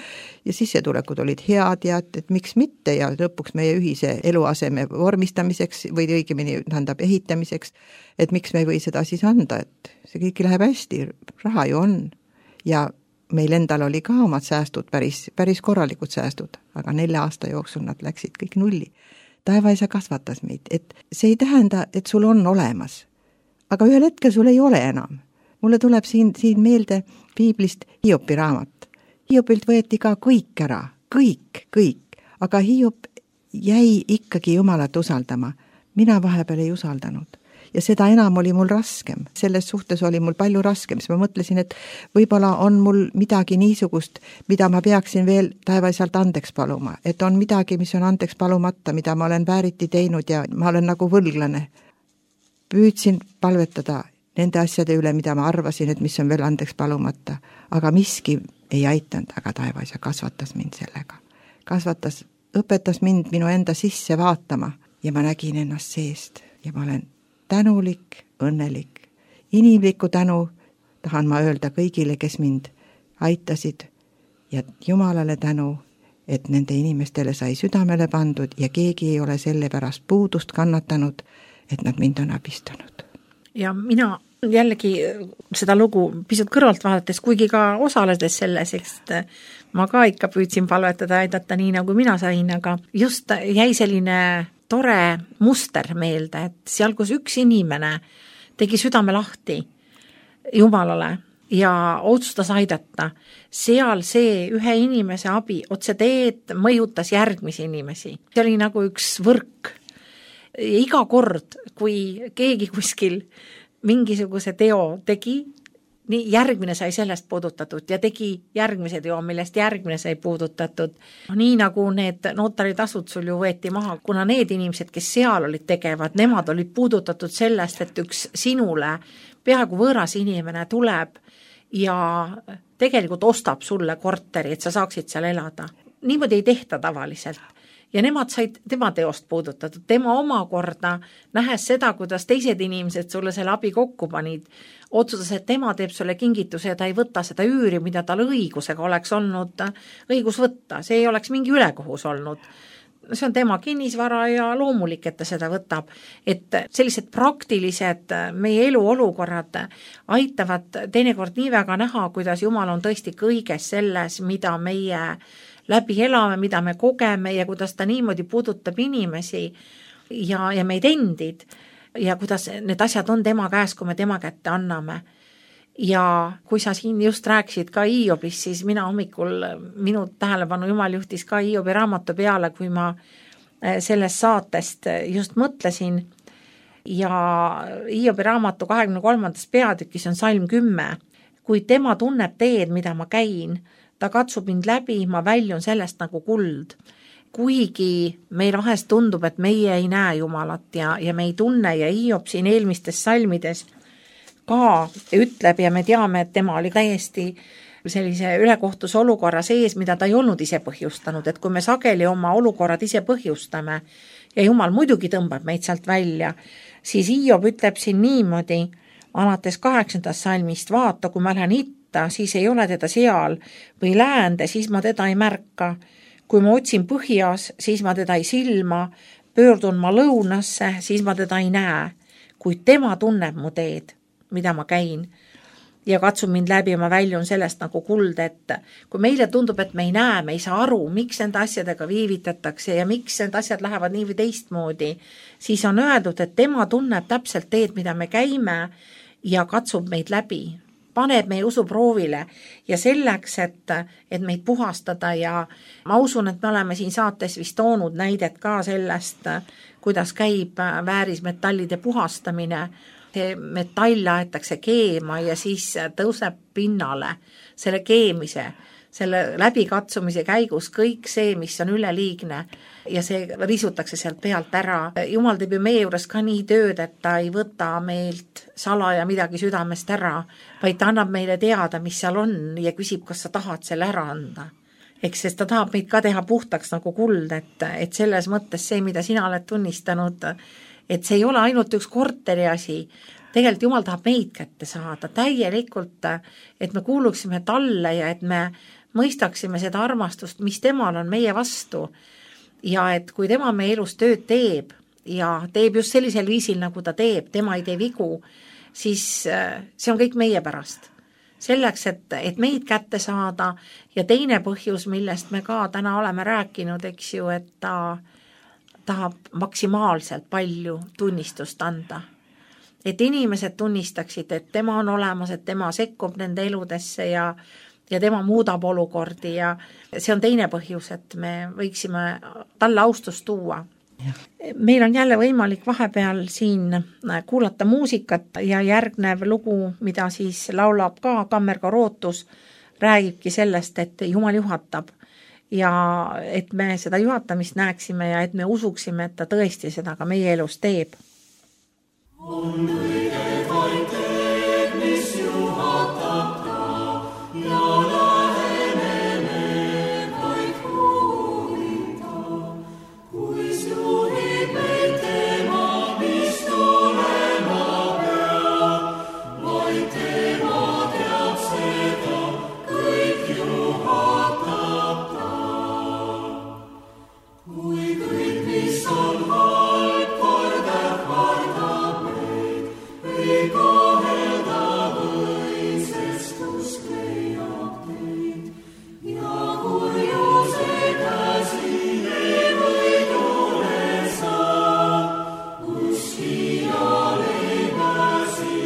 ja sissetulekud olid head ja et, et miks mitte ja lõpuks meie ühise eluaseme vormistamiseks või õigemini tähendab ehitamiseks, et miks me ei või seda siis anda, et see kõik läheb hästi, raha ju on ja meil endal oli ka omad säästud, päris, päris korralikud säästud, aga nelja aasta jooksul nad läksid kõik nulli. Taevaisa kasvatas meid, et see ei tähenda, et sul on olemas, aga ühel hetkel sul ei ole enam. Mulle tuleb siin, siin meelde Piiblist Hiopi raamat. Hiopilt võeti ka kõik ära, kõik, kõik, aga Hiop jäi ikkagi Jumalat usaldama. Mina vahepeal ei usaldanud. Ja seda enam oli mul raskem. Selles suhtes oli mul palju raskem, siis ma mõtlesin, et võib-olla on mul midagi niisugust, mida ma peaksin veel taevaisalt andeks paluma. Et on midagi, mis on andeks palumata, mida ma olen vääriti teinud ja ma olen nagu võlglane. Püüdsin palvetada nende asjade üle, mida ma arvasin, et mis on veel andeks palumata. Aga miski ei aitanud, aga taevaisa kasvatas mind sellega. Kasvatas, õpetas mind minu enda sisse vaatama ja ma nägin ennast seest ja ma olen tänulik, õnnelik. Inimlikku tänu tahan ma öelda kõigile, kes mind aitasid ja Jumalale tänu, et nende inimestele sai südamele pandud ja keegi ei ole selle pärast puudust kannatanud, et nad mind on abistanud. Ja mina jällegi seda lugu pisut kõrvalt vaadates, kuigi ka osaledes selles, sest ma ka ikka püüdsin palvetada ja aidata nii, nagu mina sain, aga just jäi selline tore muster meelde, et seal, kus üks inimene tegi südame lahti Jumalale ja otsustas aidata, seal see ühe inimese abi otse teed mõjutas järgmisi inimesi. See oli nagu üks võrk. Ja iga kord, kui keegi kuskil mingisuguse teo tegi, nii järgmine sai sellest puudutatud ja tegi järgmise teo, millest järgmine sai puudutatud. Nii nagu need notaritasud sul ju võeti maha, kuna need inimesed, kes seal olid tegevad, nemad olid puudutatud sellest, et üks sinule peaaegu võõras inimene tuleb ja tegelikult ostab sulle korteri, et sa saaksid seal elada. Niimoodi ei tehta tavaliselt. Ja nemad said tema teost puudutatud. Tema omakorda, nähes seda, kuidas teised inimesed sulle selle abi kokku panid, otsustas, et tema teeb sulle kingituse ja ta ei võta seda üüri, mida tal õigusega oleks olnud õigus võtta. See ei oleks mingi ülekohus olnud. See on tema kinnisvara ja loomulik, et ta seda võtab. Et sellised praktilised meie elu olukorrad aitavad teinekord nii väga näha, kuidas Jumal on tõesti kõiges selles, mida meie läbi elame, mida me kogeme ja kuidas ta niimoodi puudutab inimesi ja, ja meid endid ja kuidas need asjad on tema käes, kui me tema kätte anname. Ja kui sa siin just rääkisid ka Hiobist, siis mina hommikul, minu tähelepanu Jumal juhtis ka Hiobi raamatu peale, kui ma sellest saatest just mõtlesin. Ja Hiobi raamatu kahekümne kolmandas peatükis on salm kümme. Kui tema tunneb teed, mida ma käin, ta katsub mind läbi, ma väljun sellest nagu kuld. Kuigi meil vahest tundub, et meie ei näe Jumalat ja, ja me ei tunne ja Hiob siin eelmistes salmides ka ütleb ja me teame, et tema oli täiesti sellise ülekohtuse olukorra sees, mida ta ei olnud ise põhjustanud, et kui me sageli oma olukorrad ise põhjustame ja Jumal muidugi tõmbab meid sealt välja, siis Hiob ütleb siin niimoodi, alates kaheksandast salmist, vaata, kui ma lähen itta, siis ei ole teda seal või läände, siis ma teda ei märka. Kui ma otsin põhjas, siis ma teda ei silma, pöördun ma lõunasse, siis ma teda ei näe. Kuid tema tunneb mu teed, mida ma käin ja katsun mind läbi ja ma väljun sellest nagu kuld, et kui meile tundub, et me ei näe, me ei saa aru, miks nende asjadega viivitatakse ja miks need asjad lähevad nii või teistmoodi, siis on öeldud, et tema tunneb täpselt teed, mida me käime ja katsub meid läbi. Paneb meie usuproovile ja selleks, et, et meid puhastada ja ma usun, et me oleme siin saates vist toonud näidet ka sellest, kuidas käib väärismetallide puhastamine. See metall aetakse keema ja siis tõuseb pinnale selle keemise, selle läbikatsumise käigus kõik see, mis on üleliigne ja see risutakse sealt pealt ära. Jumal teeb ju meie juures ka nii tööd, et ta ei võta meilt salaja midagi südamest ära, vaid ta annab meile teada, mis seal on ja küsib, kas sa tahad selle ära anda. Eks sest ta tahab meid ka teha puhtaks nagu kuld, et, et selles mõttes see, mida sina oled tunnistanud, et see ei ole ainult üks korteri asi. Tegelikult Jumal tahab meid kätte saada täielikult, et me kuuluksime talle ja et me mõistaksime seda armastust, mis temal on meie vastu. Ja et kui tema meie elus tööd teeb ja teeb just sellisel viisil, nagu ta teeb, tema ei tee vigu, siis see on kõik meie pärast. Selleks, et, et meid kätte saada ja teine põhjus, millest me ka täna oleme rääkinud, eks ju, et ta tahab maksimaalselt palju tunnistust anda. Et inimesed tunnistaksid, et tema on olemas, et tema sekkub nende eludesse ja, ja tema muudab olukordi ja see on teine põhjus, et me võiksime talle austust tuua. Ja. Meil on jälle võimalik vahepeal siin kuulata muusikat ja järgnev lugu, mida siis laulab ka Kammerkoor Ootus, räägibki sellest, et Jumal juhatab ja et me seda juhatamist näeksime ja et me usuksime, et ta tõesti seda ka meie elus teeb. On õiged vaid teed, mis juhatab ta ja läheneme vaid huulita. Kuis juhib meid tema, mis tulema peab, vaid tema teab seda, kõik juhatab ta. Kui kõik, mis on halb, kordab vardab meid, ei kohelda võid, sest usk leiab teid. Ja kurjuse käsi ei võidule saa, uskijal ei pääsi,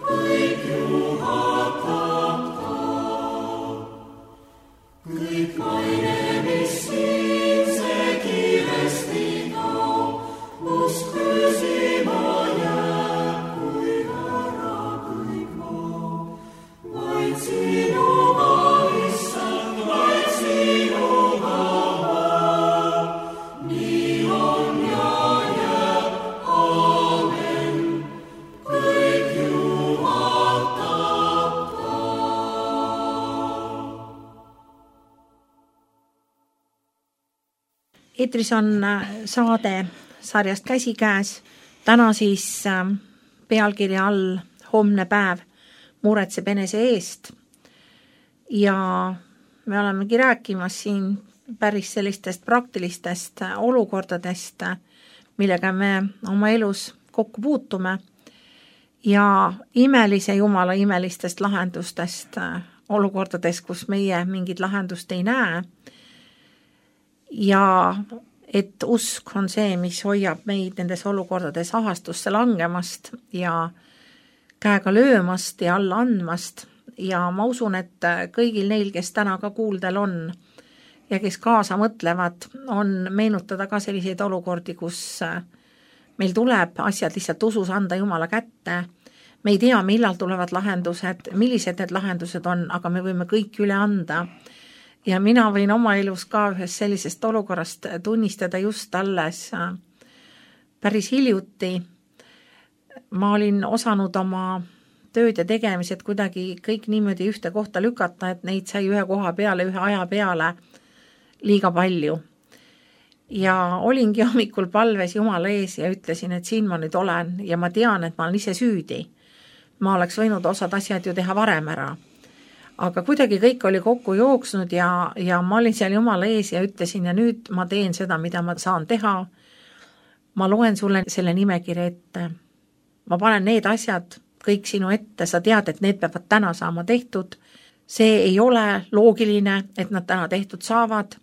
kõik juhatab ta. Kõik maine, mis siin see kiiresti too, usk püsima jääb, kui ära kõik maa. Vaid sinuga, issand, vaid sinuga maa. Nii on ja jääb, aamen, kõik juhatab ta. Eetris on saade sarjast Käsikäes. Täna siis pealkirja all Homne päev muretseb enese eest. Ja me olemegi rääkimas siin päris sellistest praktilistest olukordadest, millega me oma elus kokku puutume. Ja imelise Jumala imelistest lahendustest olukordades, kus meie mingit lahendust ei näe. Ja et usk on see, mis hoiab meid nendes olukordades ahastusse langemast ja käega löömast ja alla andmast. Ja ma usun, et kõigil neil, kes täna ka kuuldel on ja kes kaasa mõtlevad, on meenutada ka selliseid olukordi, kus meil tuleb asjad lihtsalt usus anda Jumala kätte. Me ei tea, millal tulevad lahendused, millised need lahendused on, aga me võime kõik üle anda. ja mina võin oma elus ka ühest sellisest olukorrast tunnistada just alles päris hiljuti. Ma olin osanud oma tööd ja tegemised kuidagi kõik niimoodi ühte kohta lükata, et neid sai ühe koha peale, ühe aja peale liiga palju. Ja olingi hommikul palves Jumala ees ja ütlesin, et siin ma nüüd olen ja ma tean, et ma olen ise süüdi. Ma oleks võinud osad asjad ju teha varem ära. Aga kuidagi kõik oli kokku jooksnud ja, ja ma olin seal Jumala ees ja ütlesin ja nüüd ma teen seda, mida ma saan teha. Ma loen sulle selle nimekirja ette. Ma panen need asjad kõik sinu ette, sa tead, et need peavad täna saama tehtud. See ei ole loogiline, et nad täna tehtud saavad.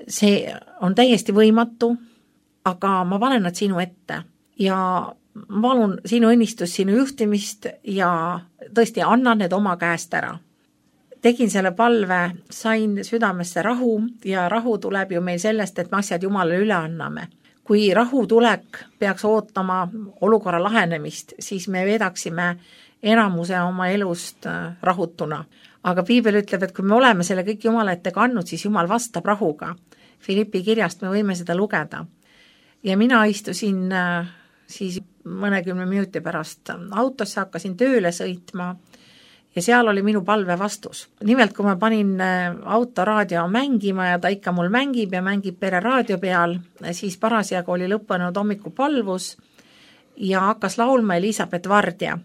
See on täiesti võimatu, aga ma panen nad sinu ette ja ma palun sinu õnnistus, sinu juhtimist ja tõesti annan need oma käest ära. Tegin selle palve, sain südamesse rahu ja rahu tuleb ju meil sellest, et me asjad Jumalale üle anname. Kui rahu tulek peaks ootama olukorra lahenemist, siis me vedaksime enamuse oma elust rahutuna. Aga Piibel ütleb, et kui me oleme selle kõik Jumala ette kandnud, siis Jumal vastab rahuga. Filippi kirjast me võime seda lugeda. Ja mina istusin siis mõnekümne minuti pärast autosse, hakkasin tööle sõitma ja seal oli minu palve vastus. Nimelt, kui ma panin autoraadio mängima ja ta ikka mul mängib ja mängib pere raadio peal, siis parasjagu oli lõppenud hommikupalvus ja hakkas laulma Elisabeth Vardja.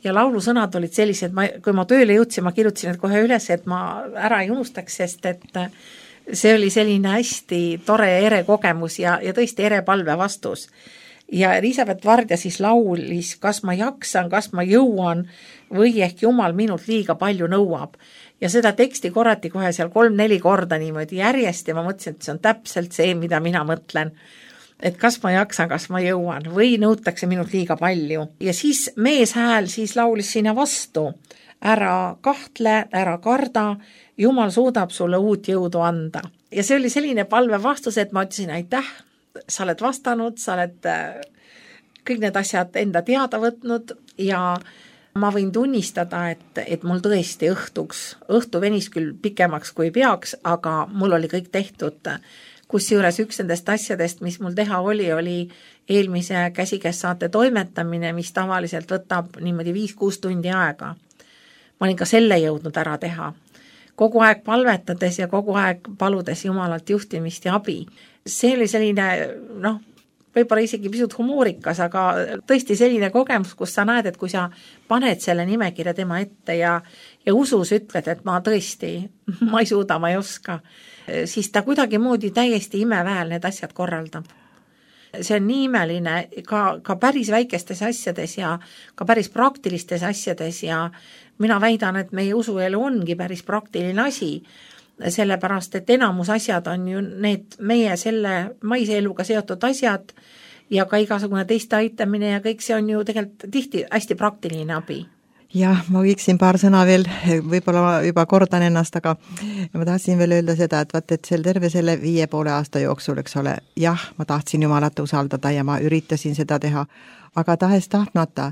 Ja laulusõnad olid sellised, ma, kui ma tööle jõudsin, ma kirjutasin et kohe üles, et ma ära ei unustaks, sest et see oli selline hästi tore ja ere kogemus ja, ja tõesti ere palve vastus. Ja Elisabeth Vardja siis laulis, kas ma jaksan, kas ma jõuan või ehk Jumal minult liiga palju nõuab. Ja seda teksti korrati kohe seal kolm-neli korda niimoodi järjest ja ma mõtlesin, et see on täpselt see, mida mina mõtlen. Et kas ma jaksan, kas ma jõuan või nõutakse minult liiga palju. Ja siis mees hääl siis laulis sinna vastu. Ära kahtle, ära karda, Jumal suudab sulle uut jõudu anda. Ja see oli selline palve vastus, et ma ütlesin aitäh, sa oled vastanud, sa oled kõik need asjad enda teada võtnud ja ma võin tunnistada, et, et mul tõesti õhtuks, õhtu venis küll pikemaks kui peaks, aga mul oli kõik tehtud. Kusjuures üks nendest asjadest, mis mul teha oli, oli eelmise käsikässaate toimetamine, mis tavaliselt võtab niimoodi viis-kuus tundi aega. Ma olin ka selle jõudnud ära teha. Kogu aeg palvetades ja kogu aeg paludes Jumalalt juhtimist ja abi. See oli selline, noh, võib-olla isegi pisut humoorikas, aga tõesti selline kogemus, kus sa näed, et kui sa paned selle nimekirja tema ette ja, ja usus ütled, et ma tõesti, ma ei suuda, ma ei oska, siis ta kuidagi moodi täiesti imeväel need asjad korraldab. See on nii imeline ka, ka päris väikestes asjades ja ka päris praktilistes asjades ja mina väidan, et meie usuelu ongi päris praktiline asi, sellepärast, et enamus asjad on ju need meie selle maise eluga seotud asjad ja ka igasugune teiste aitamine ja kõik see on ju tegelikult tihti hästi praktiline abi. Jah, ma võiksin paar sõna veel, võib-olla juba kordan ennast, aga ma tahtsin veel öelda seda, et vaat, et seal terve selle viie poole aasta jooksul, eks ole, jah, ma tahtsin Jumalat usaldada ja ma üritasin seda teha, aga tahes tahtmata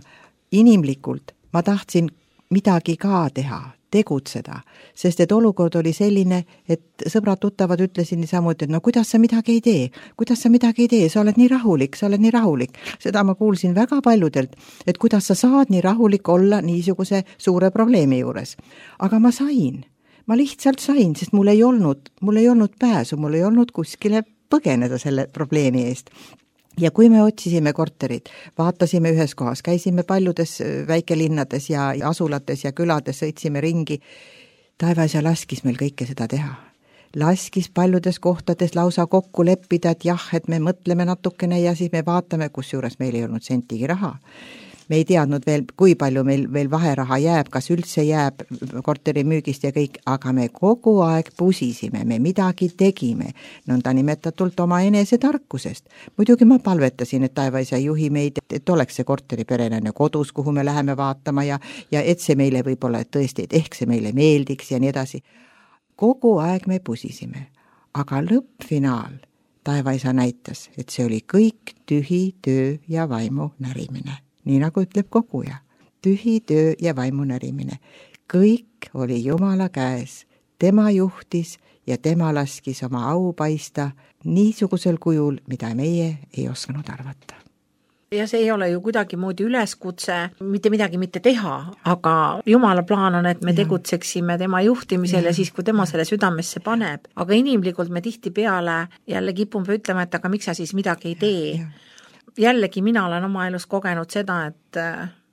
inimlikult ma tahtsin midagi ka teha, tegutseda, sest et olukord oli selline, et sõbrad tuttavad ütlesin niisamuti, et no kuidas sa midagi ei tee, kuidas sa midagi ei tee, sa oled nii rahulik, sa oled nii rahulik. Seda ma kuulsin väga paljudelt, et kuidas sa saad nii rahulik olla niisuguse suure probleemi juures. Aga ma sain, ma lihtsalt sain, sest mul ei olnud, mul ei olnud pääsu, mul ei olnud kuskile põgeneda selle probleemi eest. Ja kui me otsisime korterit, vaatasime ühes kohas, käisime paljudes väikelinnades ja asulates ja külades, sõitsime ringi, taevas ja laskis meil kõike seda teha. Laskis paljudes kohtades lausa kokku leppida, et jah, et me mõtleme natukene ja siis me vaatame, kus juures meil ei olnud sentigi raha. Me ei teadnud veel, kui palju meil veel vaheraha jääb, kas üldse jääb korteri müügist ja kõik, aga me kogu aeg pusisime, me midagi tegime, nõnda nimetatult oma enese tarkusest. Muidugi ma palvetasin, et taevaisa juhi meid, et oleks see korteri perenene kodus, kuhu me läheme vaatama ja, ja et see meile võib-olla et tõesti, et ehk see meile meeldiks ja nii edasi. Kogu aeg me pusisime, aga lõppfinaal taevaisa näitas, et see oli kõik tühi töö ja vaimu närimine. Nii nagu ütleb koguja, tühi töö ja vaimu närimine. Kõik oli Jumala käes, tema juhtis ja tema laskis oma au paista niisugusel kujul, mida meie ei osanud arvata. Ja see ei ole ju kuidagimoodi üleskutse mitte midagi mitte teha, aga Jumala plaan on, et me ja. tegutseksime tema juhtimisel ja. ja siis, kui tema selle südamesse paneb. Aga inimlikult me tihtipeale jälle kipume ütlema, et aga miks sa siis midagi ei tee. Ja. Jällegi mina olen oma elus kogenud seda, et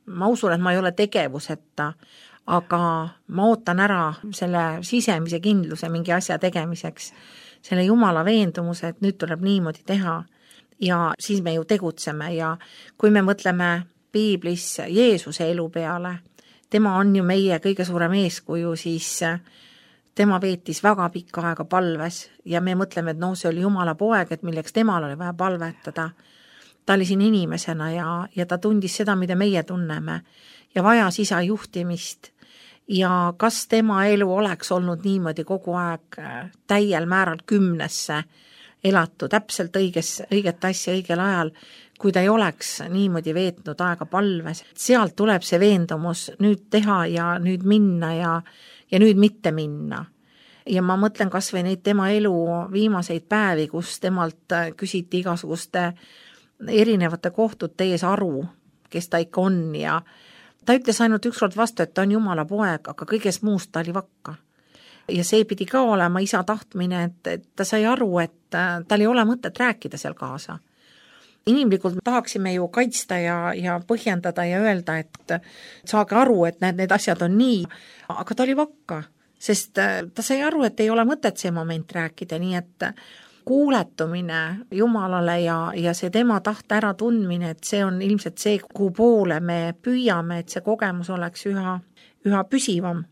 ma usun, et ma ei ole tegevuseta, aga ma ootan ära selle sisemise kindluse mingi asja tegemiseks, selle Jumala veendumuse, et nüüd tuleb niimoodi teha. Ja siis me ju tegutseme ja kui me mõtleme piiblis Jeesuse elu peale, tema on ju meie kõige suurem eeskuju, siis tema veetis väga pikka aega palves ja me mõtleme, et no see oli Jumala poeg, et milleks temal oli vaja palvetada. Ta oli siin inimesena ja, ja ta tundis seda, mida meie tunneme ja vajas isa juhtimist. Ja kas tema elu oleks olnud niimoodi kogu aeg täiel määral kümnesse elatu täpselt õiges, õiget asja õigel ajal, kui ta ei oleks niimoodi veetnud aega palves. Sealt tuleb see veendumus nüüd teha ja nüüd minna ja, ja nüüd mitte minna. Ja ma mõtlen kas või neid tema elu viimaseid päevi, kus temalt küsiti igasuguste erinevate kohtute ees aru, kes ta ikka on ja ta ütles ainult ükskord vastu, et ta on Jumala poeg, aga kõigest muust ta oli vakka. Ja see pidi ka olema isa tahtmine, et, et ta sai aru, et tal ei ole mõtet rääkida seal kaasa. Inimlikult tahaksime ju kaitsta ja, ja põhjendada ja öelda, et saage aru, et need, need asjad on nii, aga ta oli vakka, sest ta sai aru, et ei ole mõtet see moment rääkida, nii et kuuletumine Jumalale ja, ja see tema tahte ära tundmine, et see on ilmselt see, kuhu poole me püüame, et see kogemus oleks üha, üha püsivam.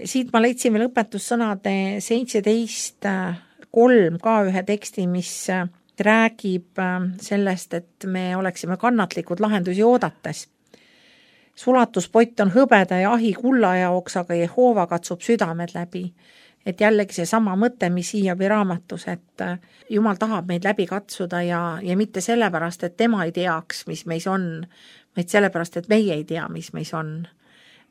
Siit ma leidsin veel õpetussõnade seitseteist kolm ka ühe teksti, mis räägib sellest, et me oleksime kannatlikud lahendusi oodates. Sulatuspott on hõbeda ja ahi kulla jaoks, aga Jehova katsub südamed läbi. Et jällegi see sama mõte, mis Hiiobi raamatus, et Jumal tahab meid läbi katsuda ja, ja mitte sellepärast, et tema ei teaks, mis meis on, vaid sellepärast, et meie ei tea, mis meis on.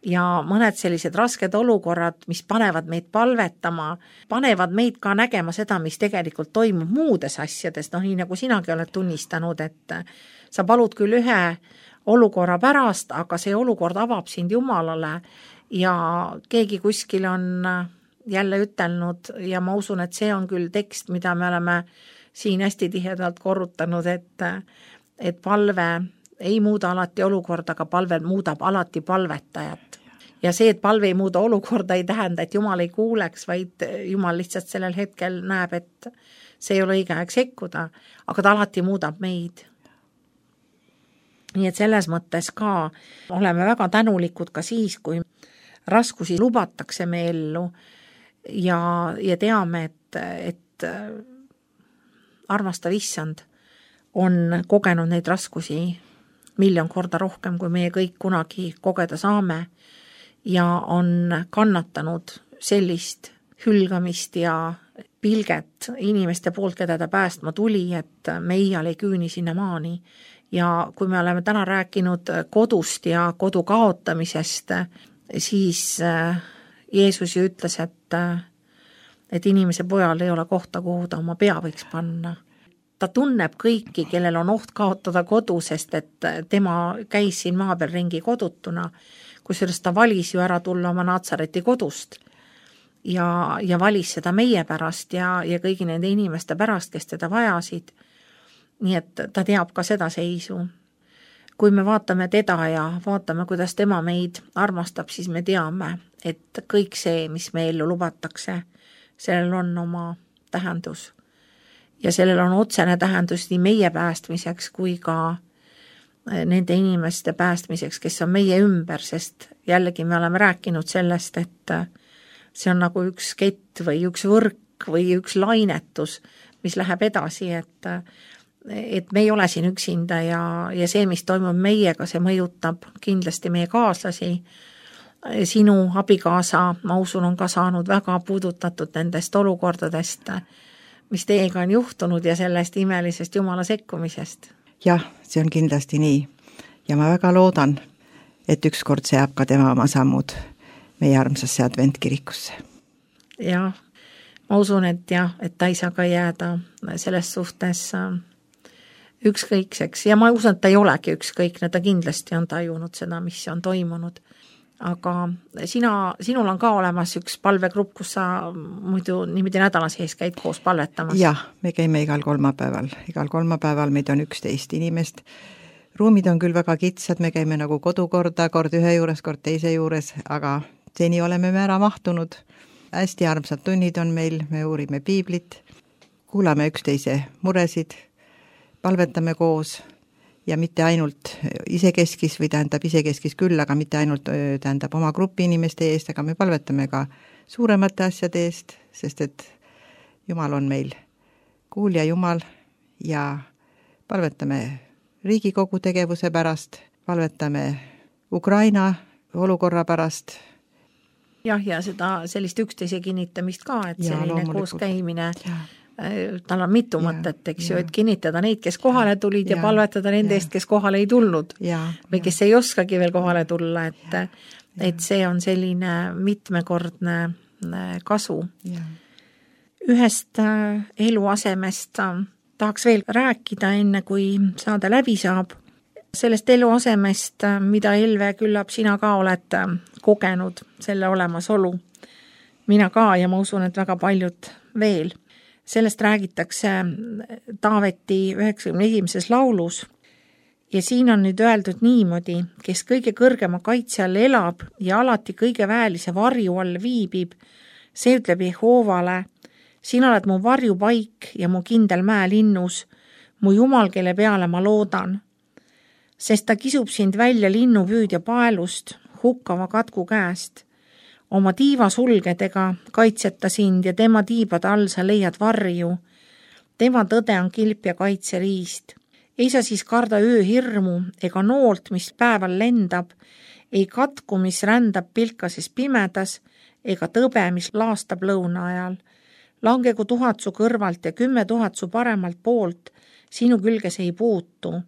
Ja mõned sellised rasked olukorrad, mis panevad meid palvetama, panevad meid ka nägema seda, mis tegelikult toimub muudes asjades, noh nii nagu sinagi oled tunnistanud, et sa palud küll ühe olukorra pärast, aga see olukord avab sind Jumalale ja keegi kuskil on jälle ütelnud ja ma usun, et see on küll tekst, mida me oleme siin hästi tihedalt korrutanud, et, et palve ei muuda alati olukorda, aga palve muudab alati palvetajat. Ja see, et palve ei muuda olukorda, ei tähenda, et Jumal ei kuuleks, vaid Jumal lihtsalt sellel hetkel näeb, et see ei ole õige aeg sekkuda, aga ta alati muudab meid. Nii et selles mõttes ka oleme väga tänulikud ka siis, kui raskusi lubatakse me ellu ja, ja teame, et, et armastav issand on kogenud neid raskusi miljon korda rohkem, kui meie kõik kunagi kogeda saame ja on kannatanud sellist hülgamist ja pilget inimeste poolt, keda ta päästma tuli, et me iial ei küüni sinna maani. Ja kui me oleme täna rääkinud kodust ja kodu kaotamisest, siis Jeesus ju ütles, et, et inimese pojal ei ole kohta, kuhu ta oma pea võiks panna. Ta tunneb kõiki, kellel on oht kaotada kodu, sest et tema käis siin maa peal ringi kodutuna, kusjuures ta valis ju ära tulla oma Natsareti kodust ja, ja valis seda meie pärast ja, ja kõigi nende inimeste pärast, kes teda vajasid. Nii et ta teab ka seda seisu. Kui me vaatame teda ja vaatame, kuidas tema meid armastab, siis me teame, et kõik see, mis me ellu lubatakse, sellel on oma tähendus. Ja sellel on otsene tähendus nii meie päästmiseks kui ka nende inimeste päästmiseks, kes on meie ümber, sest jällegi me oleme rääkinud sellest, et see on nagu üks kett või üks võrk või üks lainetus, mis läheb edasi, et, et me ei ole siin üksinda ja, ja see, mis toimub meiega, see mõjutab kindlasti meie kaaslasi. Sinu abikaasa, ma usun, on ka saanud väga puudutatud nendest olukordadest, mis teiega on juhtunud ja sellest imelisest Jumala sekkumisest. Jah, see on kindlasti nii. Ja ma väga loodan, et ükskord seab ka tema oma sammud meie armsasse adventkirikusse. Jah, ma usun, et jah, et ta ei saa ka jääda selles suhtes ükskõikseks ja ma usun, et ta ei olegi ükskõikne, ta kindlasti on tajunud seda, mis on toimunud. Aga sina, sinul on ka olemas üks palvegrupp, kus sa muidu niimoodi nädala sees käid koos palvetamas. Jah, me käime igal kolmapäeval. Igal kolmapäeval meid on üksteist inimest. Ruumid on küll väga kitsad, me käime nagu kodukorda, kord ühe juures, kord teise juures, aga seni oleme me ära mahtunud. Hästi armsad tunnid on meil, me uurime piiblit, kuulame üksteise muresid, palvetame koos ja mitte ainult isekeskis või tähendab isekeskis küll, aga mitte ainult tähendab oma grupi inimeste eest, aga me palvetame ka suuremate asjade eest, sest et Jumal on meil kuulja Jumal ja palvetame Riigikogu tegevuse pärast, palvetame Ukraina olukorra pärast. Jah, ja seda sellist üksteise kinnitamist ka, et ja, selline koos käimine ja. Tal on mitu ja, mõtet, eks ja. Ju, et kinnitada neid, kes kohale tulid ja, ja palvetada nende eest, kes kohale ei tulnud ja, või kes ja. Ei oskagi veel kohale tulla, et, ja, ja. Et see on selline mitmekordne kasu. Ja. Ühest eluasemest tahaks veel rääkida enne, kui saade läbi saab. Sellest eluasemest, mida Elve küllap sina ka oled kogenud, selle olemasolu. Mina ka ja ma usun, et väga paljud veel. Sellest räägitakse Taaveti üheksakümne esimeses laulus ja siin on nüüd öeldud niimoodi, kes kõige kõrgema kaitse all elab ja alati kõige väelise varju all viibib, see ütleb Jehoovale, sina oled mu varjupaik ja mu kindel mäelinnus, mu Jumal, kelle peale ma loodan. Sest ta kisub sind välja linnupüüdja paelust, hukkava katku käest. Oma tiiva sulgedega kaitseta sind ja tema tiibade all sa leiad varju. Tema tõde on kilp ja kaitseriist. Ei sa siis karda ööhirmu ega noolt, mis päeval lendab, ei katku, mis rändab pilkases pimedas, ega tõbe, mis laastab lõuna ajal. Langegu tuhat su kõrvalt ja kümme tuhat su paremalt poolt, sinu külge see ei puutu.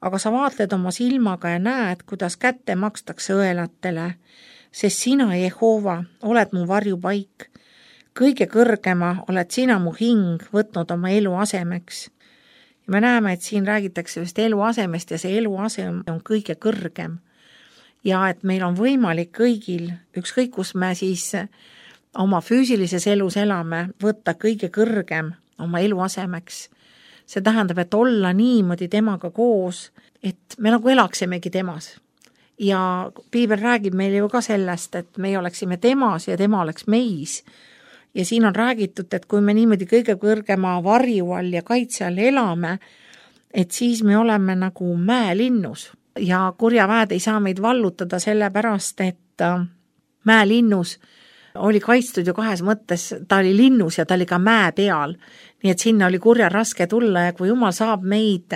Aga sa vaatled oma silmaga ja näed, kuidas kätte makstakse õelatele, sest sina, Jehoova, oled mu varjupaik. Kõige kõrgema oled sina mu hing võtnud oma elu asemeks. Ja me näeme, et siin räägitakse just elu asemest ja see elu asem on kõige kõrgem. Ja et meil on võimalik kõigil, ükskõik kus me siis oma füüsilises elus elame, võtta kõige kõrgem oma elu asemeks. See tähendab, et olla niimoodi temaga koos, et me nagu elaksimegi temas. Ja piibel räägib meile ju ka sellest, et me oleksime temas ja tema oleks meis. Ja siin on räägitud, et kui me niimoodi kõige kõrgema varju all ja kaitse all elame, et siis me oleme nagu mäelinnus. Ja kurjaväed ei saa meid vallutada sellepärast, et mäelinnus oli kaitstud ju kahes mõttes, ta oli linnus ja ta oli ka mäe peal. Nii et sinna oli kurja raske tulla ja kui Jumal saab meid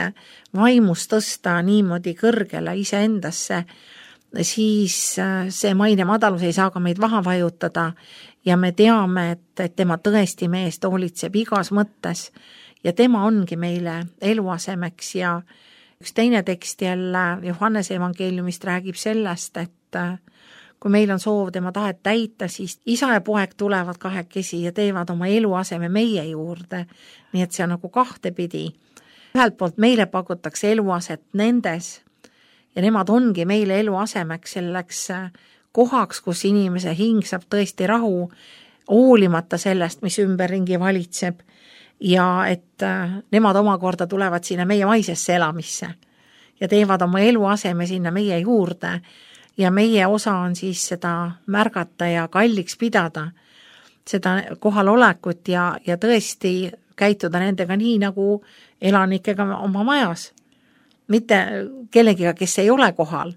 vaimust tõsta niimoodi kõrgele iseendasse, siis see maine madalus ei saa ka meid vaha vajutada ja me teame, et, et tema tõesti meest hoolitseb igas mõttes ja tema ongi meile eluasemeks ja üks teine tekst jälle Johannese evangeeliumist räägib sellest, et kui meil on soov tema tahet täita, siis isa ja poeg tulevad kahekesi ja teevad oma eluaseme meie juurde. Nii et see on nagu kahtepidi. Ühelt poolt meile pakutakse eluaset nendes ja nemad ongi meile eluasemeks selleks kohaks, kus inimese hing saab tõesti rahu, hoolimata sellest, mis ümberringi valitseb ja et nemad omakorda tulevad sinna meie maisesse elamisse ja teevad oma eluaseme sinna meie juurde. Ja meie osa on siis seda märgata ja kalliks pidada, seda kohalolekut ja, ja tõesti käituda nendega nii nagu elanikega oma majas. Mitte kellegiga, kes ei ole kohal,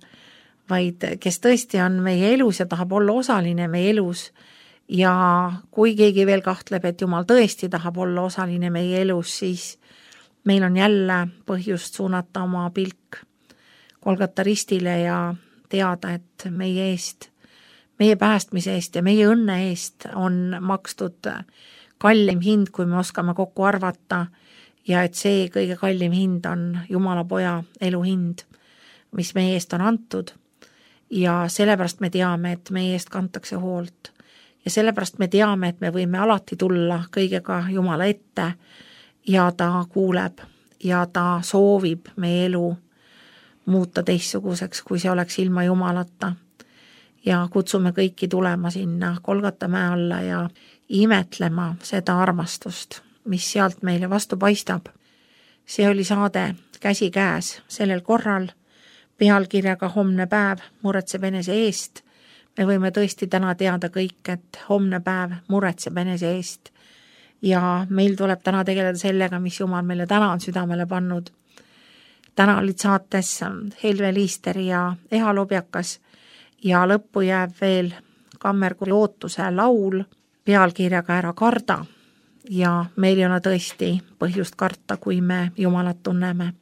vaid kes tõesti on meie elus ja tahab olla osaline meie elus. Ja kui keegi veel kahtleb, et Jumal tõesti tahab olla osaline meie elus, siis meil on jälle põhjust suunata oma pilk Golgata ristile ja teada, et meie eest, meie päästmise eest ja meie õnne eest on makstud kallim hind, kui me oskame kokku arvata ja et see kõige kallim hind on Jumala poja elu hind, mis meie eest on antud ja sellepärast me teame, et meie eest kantakse hoolt ja sellepärast me teame, et me võime alati tulla kõigega Jumala ette ja ta kuuleb ja ta soovib meie elu muuta teistsuguseks, kui see oleks ilma Jumalata. Ja kutsume kõiki tulema sinna Golgata mäe alla ja imetlema seda armastust, mis sealt meile vastu paistab. See oli saade Käsi käes sellel korral pealkirjaga Homne päev muretseb enese eest. Me võime tõesti täna teada kõik, et homne päev muretseb enese eest. Ja meil tuleb täna tegeleda sellega, mis Jumal meile täna on südamele pannud. Täna olid saates Helve Liister ja Eha Lobjakas ja lõppu jääb veel Kammerkoori ootuse laul pealkirjaga Ära karda ja meil ei ole tõesti põhjust karta, kui me Jumalat tunneme.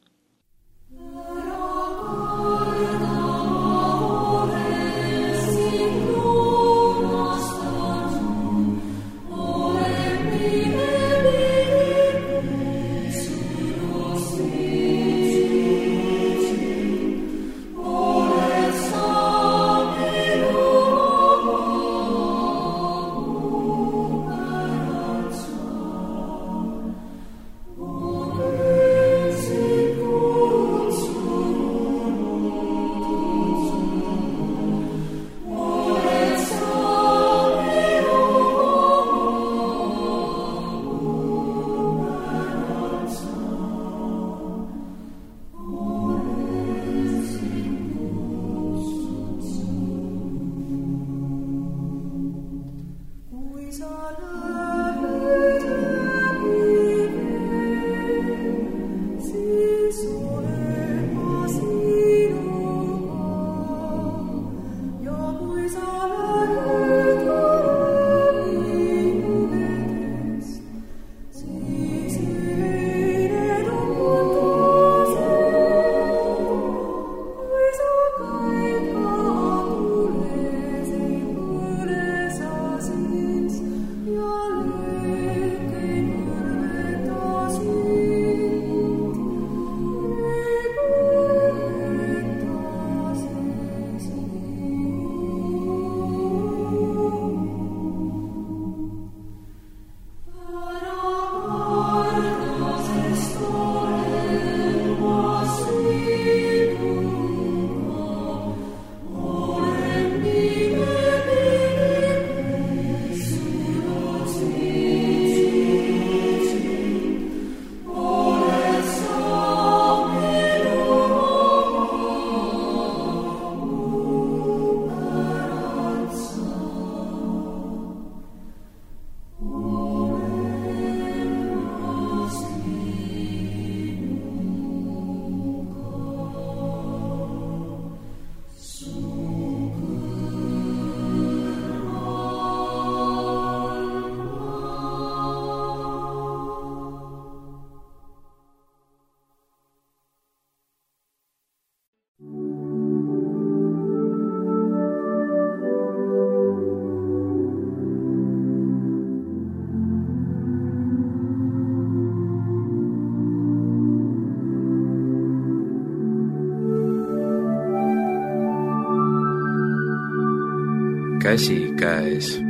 Käsi käes.